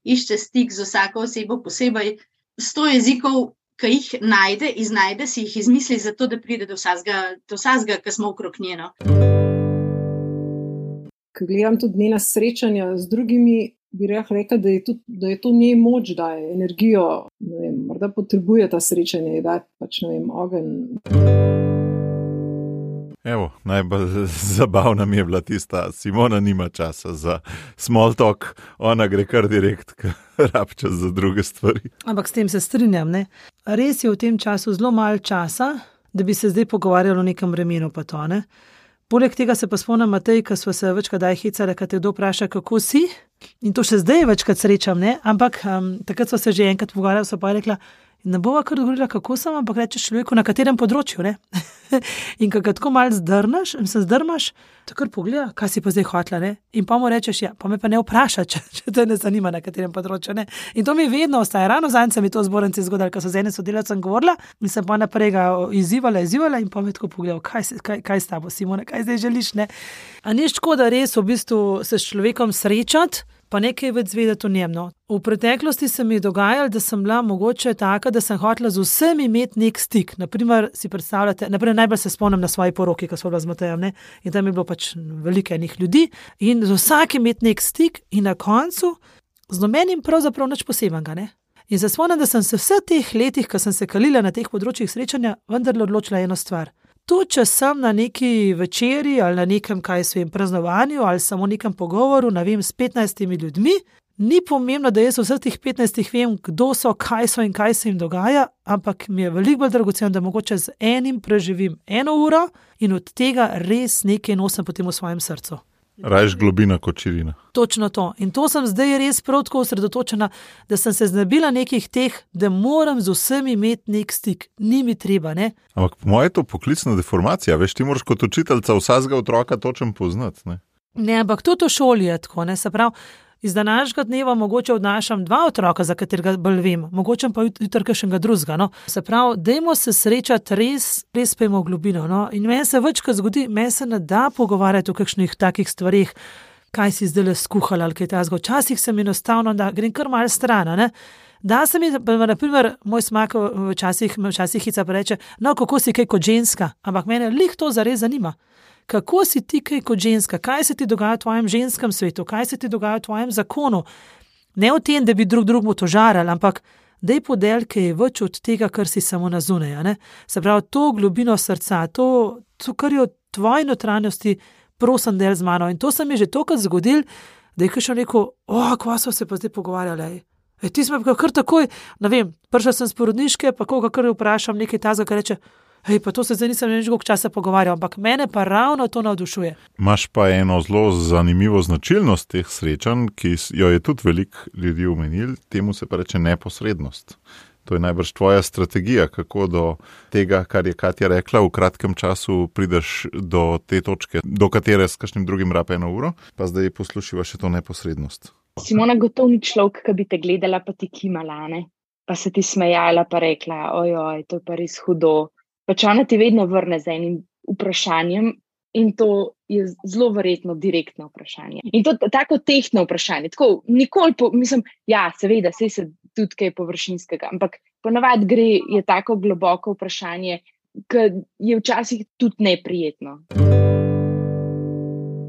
išče stik z vsako osebo posebej, sto jezikov, ki jih najde, iznajde, si jih izmisli zato, da pride do vsazga, do vsazga, ki smo okrog njeno. Ko gledam tudi njena srečanja z drugimi, bi rekla, da je, tudi, da je to njej moč, da je energijo, ne vem, morda potrebuje ta srečanje, da je pač, ne vem, ogen. Evo, najbolj zabavna mi je bila tista, Simona nima časa za small talk, ona gre kar direkt, rab čas za druge stvari. Ampak s tem se strinjam, ne? Res je v tem času zelo malo časa, da bi se zdaj pogovarjali o nekem vremenu pa to, ne? Poleg tega se pa spomnim Matej, ko smo se večkrat daj hecali, ko te kdo vpraša, kako si, in to še zdaj večkrat srečam, ne? Ampak um, takrat smo se že enkrat pogovarjali, so pa rekla, ne bova kar govorila, kako sem, ampak rečeš človeku, na katerem področju, ne? In ko ga tako malo zdrnaš, in se zdrmaš, takrat pogleda, kaj si pa zdaj hotla, ne? In pa mu rečeš, ja, pa me pa ne vpraša, če, če te ne zanima, na katerem področju, ne? In to mi vedno ostaje, ravno zanj se mi to zbornici zgodilo, ko so z enim sodelavcem govorila in sem pa naprej ga izzivala, izzivala in pa me tako pogledal, kaj, kaj, kaj s tabo, Simona, kaj zdaj želiš, ne? A ni škoda res v bistvu se s človekom srečati, pa nekaj več zvedeti o njem, no. V preteklosti se mi je dogajalo, da sem bila mogoče taka, da sem hotela z vsemi imeti nek stik. Naprimer, si predstavljate, naprimer, najbolj se spomnim na svoji poroki, ko smo bila z Matejem, ne, in tam je bilo pač veliko enih ljudi in z vsakim imeti nek stik in na koncu z nobenim pravzaprav nič posebenega, ne. In se spomnim, da sem se vse teh letih, ko sem se kalila na teh področjih srečanja, vendarle odločila eno stvar. To, če sem na neki večeri ali na nekem, kaj svem, praznovanju ali samo nekem pogovoru, ne vem, s petnajstimi ljudmi, ni pomembno, da jaz vseh teh petnajstih vem, kdo so, kaj so in kaj se jim dogaja, ampak mi je veliko bolj dragoceno, da mogoče z enim preživim eno uro in od tega res nekaj nosim potem v svojem srcu. Rajš globina kot širina. Točno to. In to sem zdaj res prav tako osredotočena, da sem se znebila nekih teh, da moram z vsemi imeti nek stik. Ni mi treba, ne? Ampak po moje je to poklicna deformacija. Veš, ti moraš kot učiteljica vsakega otroka točno poznati, ne? Ne, ampak tudi v šoli je tako, ne? Se pravi, iz današnjega dneva mogoče odnašam dva otroka, za katerega bolj vem, mogoče pa jutri kakšnega drugega, no. Se pravi, dajmo se srečati res, res pejmo v globino, no. In meni se večkrat zgodi, meni se ne da pogovarjati o kakšnih takih stvarih, kaj si zdaj skuhala ali kaj takega. Včasih se mi enostavno, da grem kar malo stran, ne. Da se mi, na primer, moj smak včasih, včasih hica pa reče, no, kako si kaj kot ženska, ampak mene lih to zares zanima. Kako si ti kaj kot ženska, kaj se ti dogaja v tvojem ženskem svetu, kaj se ti dogaja v tvojem zakonu. Ne v tem, da bi drug drugmu to žarali, ampak daj podel, kaj je več od tega, kar si samo na zunaj, ne? Se pravi, to globino srca, to, to kar je v tvoji notranjosti, prosim del z mano. In to se mi je že tokrat zgodil, da je kakšen rekel, o, kva so se pa zdaj pogovarjali. E, ti smo pa kar takoj, ne vem, prišla sem z porodniške, pa koga kar vprašam nekaj tazga, kar reče, hej, pa to se zdaj nisem več koliko časa pogovarjal, ampak mene pa ravno to navdušuje. Imaš pa eno zelo zanimivo značilnost teh srečanj, ki jo je tudi veliko ljudi omenil, temu se pa reče neposrednost. To je najbrž tvoja strategija, kako do tega, kar je Katja rekla, v kratkem času prideš do te točke, do katere s kakšnim drugim rabe eno uro, pa zdaj poslušiva še to neposrednost. Simona, gotovo ni človek, ki bi te gledala, pa ti kimala, ne? Pa se ti smejala, pa rekla, ojoj, to je pa res hudo. Pač ona ti vedno vrne z enim vprašanjem in to je zelo verjetno direktno vprašanje. In to tako tehtno vprašanje. Tako, nikoli, po, mislim, ja, seveda, sej se tudi kaj površinskega, ampak ponavadi gre, je tako globoko vprašanje, ki je včasih tudi neprijetno.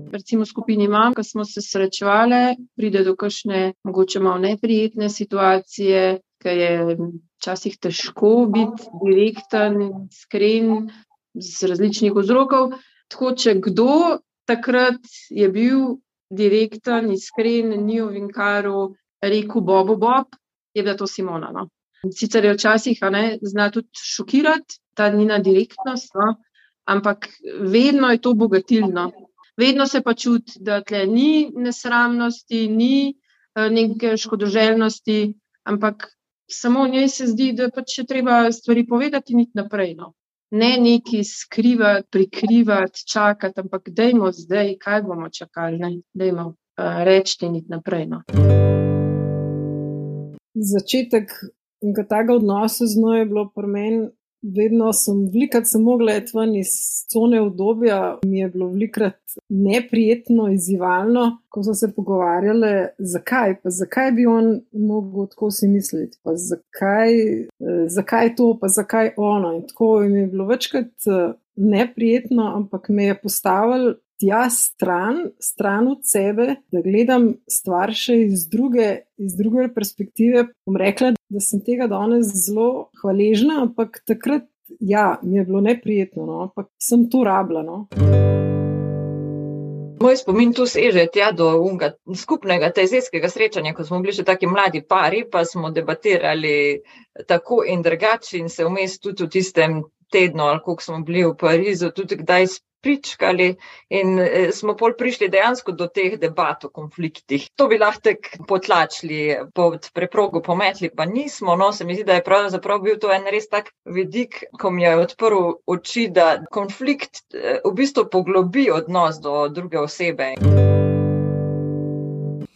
Recimo v skupini mam, ko smo se srečevali, pride do kakšne mogoče malo neprijetne situacije, ki je včasih težko biti direkten, iskren z različnih vzrokov. Tako, če kdo takrat je bil direkten, iskren, ni ovinkaril, rekel Bobo Bob, je bila to Simona, no. Sicer je včasih, a ne, zna tudi šokirati, ta njena direktnost, no, ampak vedno je to bogatilno. Vedno se pa čuti, da tle ni nesramnosti, ni neke škodoželjnosti, ampak samo v njej se zdi, da pač je treba stvari povedati in iti naprej, no. Ne neki skrivati, prikrivati, čakati, ampak dajmo zdaj, kaj bomo čakali, ne, dajmo uh, reči in iti naprej, no. Začetek enega takega odnosa z njo je bilo pri meni vedno sem velikrat sem mogla iti ven iz cone udobja, mi je bilo velikrat neprijetno, izzivalno, ko smo se pogovarjali, zakaj, pa zakaj bi on mogel tako si misliti, pa zakaj, zakaj to, pa zakaj ono. In tako mi je bilo večkrat neprijetno, ampak me je postavil tja stran, stran od sebe, da gledam stvar še iz druge, iz druge perspektive. Bom rekla, da sem tega danes zelo hvaležna, ampak takrat, ja, mi je bilo neprijetno, no, ampak sem to rabila, no. Moj spomin tu seže tja do unga skupnega tezijskega srečanja, ko smo bili še taki mladi pari, pa smo debatirali tako in drugače in se vmes tudi v tistem tednu, ali koliko smo bili v Parizu, tudi kdaj pričkali in smo pol prišli dejansko do teh debat o konfliktih. To bi lahko tek potlačili, pod preprogo pometli, pa nismo. No, se mi zdi, da je pravzaprav bil to en res tak vidik, ko mi je odprl oči, da konflikt v bistvu poglobi odnos do druge osebe.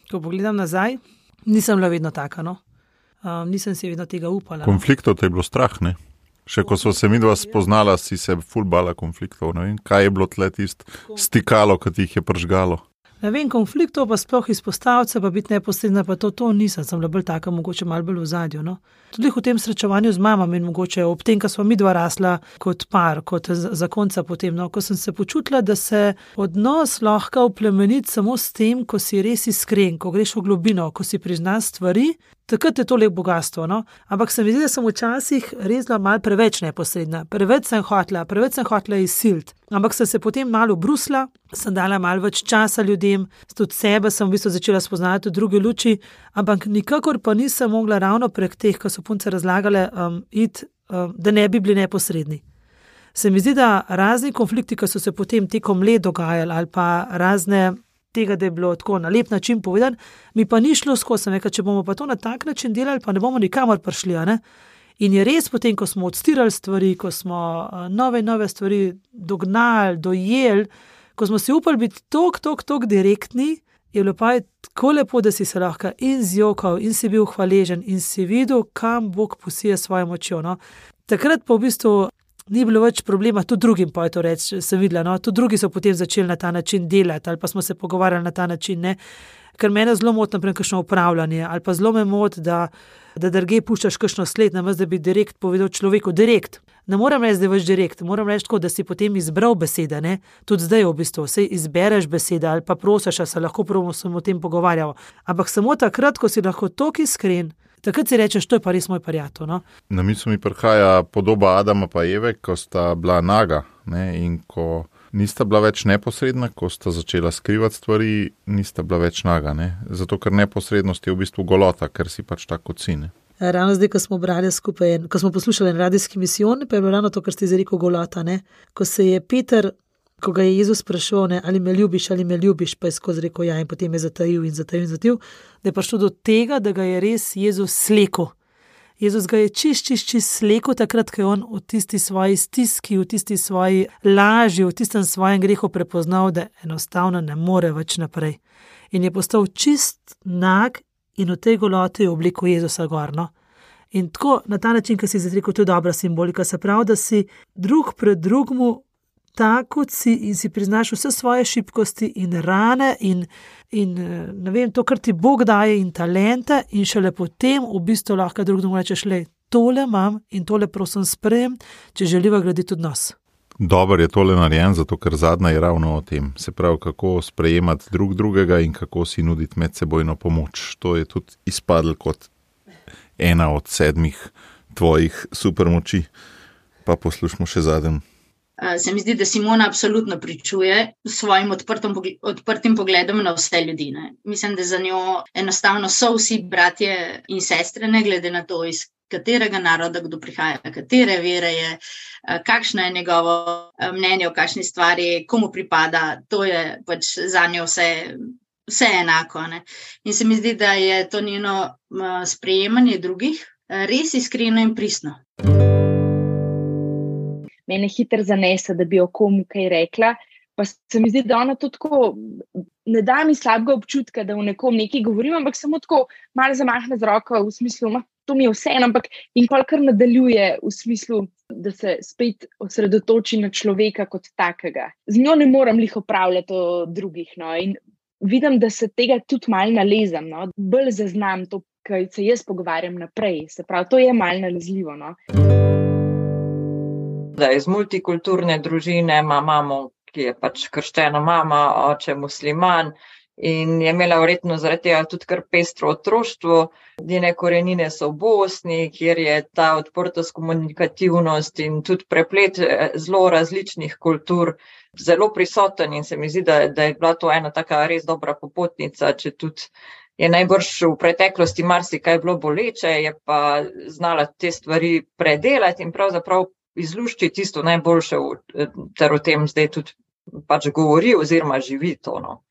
Ko pogledam nazaj, nisem bila vedno taka, no. Um, nisem si vedno tega upala. Konfliktov te je bilo strah, ne? Še ko so se midva spoznala, si se ful bala konfliktov, ne vem, kaj je bilo tle tist stikalo, ki ti jih je pržgalo. Ne vem, konfliktov pa sploh izpostavce, pa biti neposredna, pa to, to nisem, sem bila bolj taka, mogoče malo bolj v zadju, no. Tudi v tem srečevanju z mamami in mogoče ob tem, ko sva midva rasla kot par, kot zakonca potem, no, ko sem se počutila, da se odnos lahko oplemeniti samo s tem, ko si res iskren, ko greš v globino, ko si priznaš stvari, takrat je to lep bogatstvo, no. Ampak se mi zdi, da sem včasih res bila malo preveč neposredna, preveč sem hotela, preveč sem hotela izsiliti. Ampak sem se potem malo brusla, sem dala malo več časa ljudem, tudi sebe sem v bistvu začela spoznati v druge luči, ampak nikakor pa nisem mogla ravno prek teh, ko so punce razlagale, um, iti, um, da ne bi bili neposredni. Se mi zdi, da razni konflikti, ki so se potem tekom let dogajali, ali pa razne tega, da je bilo tako na lep način povedan, mi pa ni šlo skozi, sem rekla, če bomo pa to na tak način delali, pa ne bomo nikamor prišli, a ne? In je res potem, ko smo odstirali stvari, ko smo nove, nove stvari dognali, dojeli, ko smo si upali biti tok, tok, tok direktni, je bilo pa tako lepo, da si se lahko in zjokal, in si bil hvaležen, in si videl, kam Bog posije svojo močjo, no. Takrat pa v bistvu ni bilo več problema, tudi drugim pa je to reči, sem videla, no, tudi drugi so potem začeli na ta način delati, ali pa smo se pogovarjali na ta način, ne, ker mene zelo moti naprej kakšno upravljanje, ali pa zelo me moti, da, da drugje puščaš kakšno sled, namesto da bi direkt povedal človeku, direkt. Ne moram reči, da je več direkt, moram reči tako, da si potem izbral besede, ne, tudi zdaj v bistvu, sej izbereš besede, ali pa prosiš, a se lahko prvo sem o tem pogovarjal, ampak samo takrat, ko si lahko toliko iskren, takrat si rečeš, to je pa res moj prijatelj, no. Na misel mi prihaja podoba Adama pa Eve, ko sta bila naga, ne, in ko nista bila več neposredna, ko sta začela skrivati stvari, nista bila več naga, ne, zato ker neposrednost je v bistvu golota, ker si pač tako si, ne. Ravno zdaj, ko smo brali skupaj, ko smo poslušali en radijski misijon, pa je bilo ravno to, kar ste izrekel golota, ne, ko se je Peter, ko ga je Jezus sprašal, ne, ali me ljubiš, ali me ljubiš, pa je skozi rekel ja in potem je zatajil in zatajil in zatajil, da je prišlo do tega, da ga je res Jezus slekel. Jezus ga je čist, čist, čist slekel takrat, ko je on v tisti svoji stiski, v tisti svoji laži, v tistem svojem grehu prepoznal, da enostavno ne more več naprej. In je postal čist nag in v tej goloti je obliku Jezusa gor, no. In tako, na ta način, ko si izrekel, to je dobra simbolika, se pravi, da si drug pred drugmu tako si in si priznaš vse svoje šibkosti in rane in, in ne vem, to, kar ti Bog daje in talente in šele potem v bistvu lahko drugemu rečeš, lej, tole imam in tole prosim sprejem, če želiva graditi odnos. Dobar je tole narejen, zato ker zadnja je ravno o tem. Se pravi, kako sprejemati drug drugega in kako si nuditi medsebojno pomoč. To je tudi izpadlo kot ena od sedmih tvojih supermoči. Pa poslušamo še zadnjem. Se mi zdi, da Simona absolutno pričuje s svojim odprtim, odprtim pogledom na vse ljudi. Ne. Mislim, da za njo enostavno so vsi bratje in sestre, ne glede na to, iz katerega naroda kdo prihaja, katere vere je, kakšno je njegovo mnenje o kakšni stvari, komu pripada, to je pač za njo vse, vse enako. Ne. In se mi zdi, da je to njeno sprejemanje drugih res iskreno in pristno. Mene hitro zanese, da bi o komu kaj rekla, pa se mi zdi, da ona to tako, ne da mi slabega občutka, da v nekom nekaj govorim, ampak samo tako malo zamahne z roko v smislu, ma, to mi je vseeno, ampak in pol kar nadaljuje v smislu, da se spet osredotoči na človeka kot takega. Z njo ne morem lih opravljati o drugih, no, in vidim, da se tega tudi malo nalezam, no, bolj zaznam to, kaj se jaz pogovarjam naprej, se pravi, to je malo nalezljivo, no. Da iz multikulturne družine ima mamo, ki je pač krščena mama, oče musliman, in je imela verjetno zaradi tega tudi kar pestro otroštvo. Njene korenine so v Bosni, kjer je ta odprtost, komunikativnost in tudi preplet zelo različnih kultur zelo prisoten in se mi zdi, da, da je bila to ena taka res dobra popotnica, če tudi je najbrž v preteklosti marsikaj bilo boleče, je pa znala te stvari predelati in pravzaprav izluščiti tisto najboljše, ter o tem zdaj tudi pač govori oziroma živi to, no.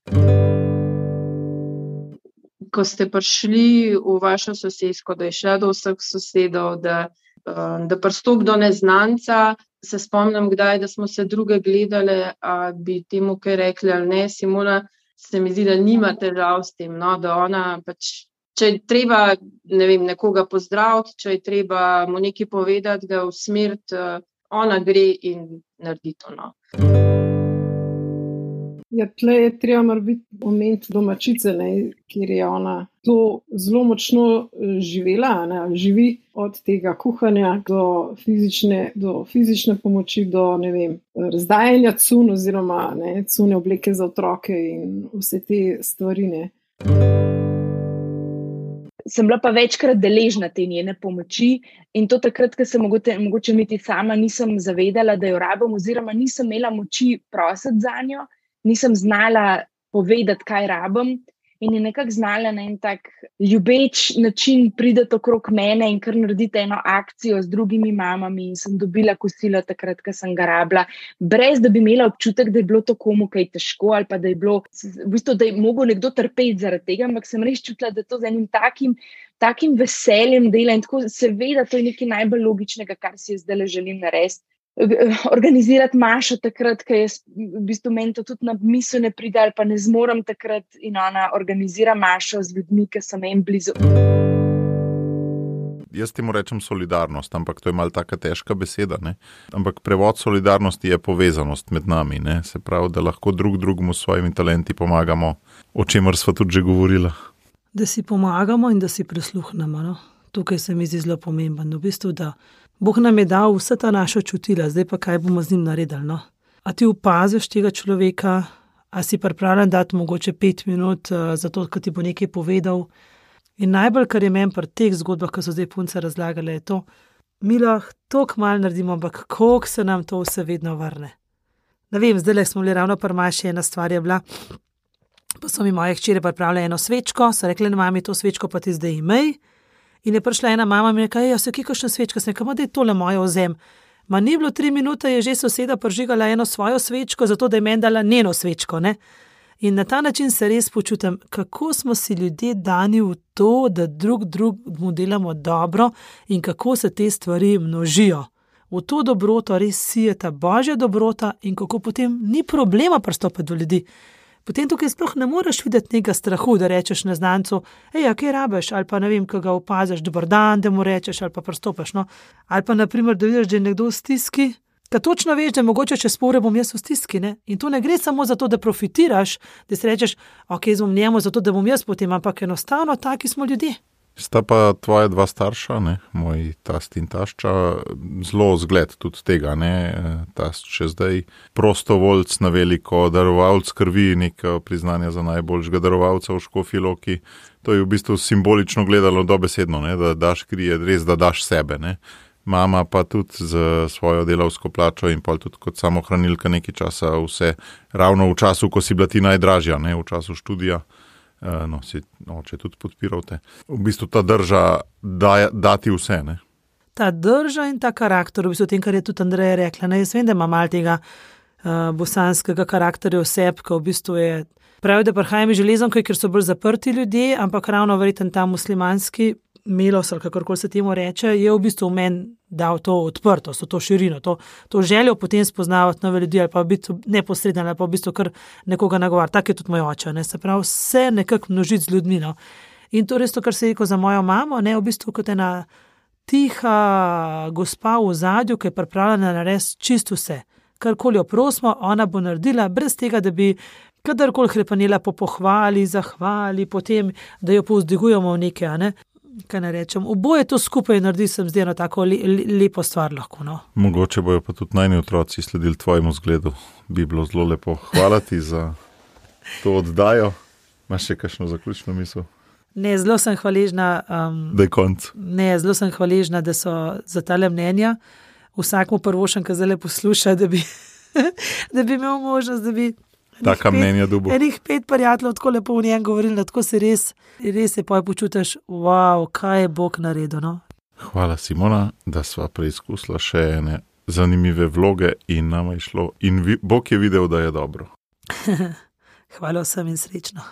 Ko ste prišli v vašo sosesko, da je šla do vseh sosedov, da, da pristop do neznanca, se spomnim kdaj, da smo se druge gledali, a bi temu kaj rekli ali ne, Simona, se mi zdi, da nima težav s tem, no, da ona pač, če je treba, ne vem, nekoga pozdraviti, če je treba mu nekaj povedati, ga usmeriti, ona gre in naredi to, no. Ja, tle je treba mar biti moment domačice, ne, kjer je ona to zelo močno živela, ne, živi od tega kuhanja do fizične, do fizične pomoči, do, ne vem, razdajanja cun oziroma, ne, cune obleke za otroke in vse te stvari, ne. Sem bila pa večkrat deležna te njene pomoči in to takrat, ko se mogoče, mogoče niti sama nisem zavedala, da jo rabim oziroma nisem imela moči prositi za njo, nisem znala povedati, kaj rabim in je nekako znala na en tak ljubeč način prideti okrog mene in kar narediti eno akcijo z drugimi mamami in sem dobila kosilo takrat, ko sem ga rabila, brez da bi imela občutek, da je bilo to komu kaj težko ali pa da je bilo, v bistvu, da je mogel nekdo trpeti zaradi tega, ampak sem res čutila, da to z enim takim, takim veseljem dela in tako seveda to je nekaj najbolj logičnega, kar si jaz zdaj želim narediti. Organizirati mašo takrat, ko je v bistvu meni to tudi na misel ne pride ali pa ne zmorem takrat in ona organizira mašo z ljudmi, ki so meni blizu. Jaz temu rečem solidarnost, ampak to je malo taka težka beseda, ne? Ampak prevod solidarnosti je povezanost med nami, ne? Se pravi, da lahko drug drugemu s svojimi talenti pomagamo, o čemer sva tudi že govorila. Da si pomagamo in da si prisluhnemo, no? Tukaj se mi zdi zelo pomembno, v bistvu, da Bog nam je dal vse ta naša čutila, zdaj pa kaj bomo z njim naredili, no? A ti opaziš tega človeka, a si pripravljen dati mogoče pet minut uh, za to, ko ti bo nekaj povedal. In najbolj, kar je meni pri teh zgodbah, ko so zdaj punce razlagale, je to, mi lahko toliko malo naredimo, ampak koliko se nam to vse vedno vrne. Ne vem, zdaj smo bili ravno pri maši, ena stvar je bila, pa so mi moje hčere pripravile eno svečko, so rekli, mami, to svečko pa ti zdaj imej. In je prišla ena mama in mi rekla, ja, se kje kakšna svečka, sem rekla, da je tole moje ozem. Ma ni bilo tri minute, je že soseda prižigala eno svojo svečko, zato da je meni dala njeno svečko, ne. In na ta način se res počutim, kako smo si ljudje dani v to, da drug drugemu delamo dobro in kako se te stvari množijo. V to dobroto res sije ta božja dobrota in kako potem ni problema pristopiti do ljudi. Potem tukaj sploh ne moreš videti nekega strahu, da rečeš neznancu, ej, a kaj rabeš, ali pa ne vem, ko ga opaziš, dober dan, da mu rečeš, ali pa pristopiš, no. Ali pa naprimer, da vidiš, da je nekdo v stiski, ka točno veš, da mogoče čez pol ure bom jaz v stiski, ne. In to ne gre samo za to, da profitiraš, da si rečeš, ok, zbom njemu zato, da bom jaz potem, ampak enostavno taki smo ljudje. Sta pa tvoja dva starša, ne, moj tast in tašča, zelo zgled tudi tega, ne, tast še zdaj prostovoljc na veliko, darovalc krvi, neko priznanje za najboljšega darovalca v Škofji Loki. To je v bistvu simbolično gledalo dobesedno, ne, da daš kri, je res, da daš sebe, ne. Mama pa tudi z svojo delavsko plačo in pa tudi kot samohranilka nekaj časa vse, ravno v času, ko si bila ti najdražja, ne, v času študija. No, si oče tudi podpiral te. V bistvu ta drža da, dati vse, ne? Ta drža in ta karakter, v bistvu tem, kar je tudi Andreja rekla, ne, jaz vem, da ima malo tega uh, bosanskega karakterja oseb, ko v bistvu je, pravi, da prihajam iz železonke, ker so bolj zaprti ljudje, ampak ravno verjetno ta muslimanski milos, ali kakorkoli se temu reče, je v bistvu v meni dal to odprtost, to širino, to, to željo potem spoznavati nove ljudi, ali pa biti neposredno, ali pa v bistvu kar nekoga nagovarjati. Tak je tudi moj oče, ne, se pravi, vse nekako množiti z ljudmi, no. In to res to, kar se je rekel za mojo mamo, ne, v bistvu kot ena tiha gospa v ozadju, ki je pripravljena narediti čisto vse. Karkoli jo prosimo, ona bo naredila, brez tega, da bi kadarkoli hrepenela po pohvali, zahvali, potem, da jo povzdigujemo v nekaj, a ne? Kaj ne rečem, oboje to skupaj naredi, sem zdaj eno tako le, le, lepo stvar lahko, no. Mogoče bojo pa tudi najni otroci sledili tvojemu zgledu. Bi bilo zelo lepo. Hvala ti za to oddajo. Imaš še kakšno zaključno misel? Ne, zelo sem hvaležna. Um, da je konc. Ne, zelo sem hvaležna, da so za tale mnenja. Vsakmu prvošem, ki zdaj posluša, da bi, da bi imel možnost, da bi taka mnenja dubo. Enih pet prijateljev tako lepo v njem govorili, da tako se res, res se poj počutiš, wow, kaj je Bog naredil, no? Hvala, Simona, da sva preizkusila še ene zanimive vloge in nama je šlo. In vi, Bog je videl, da je dobro. Hvala vsem in srečno.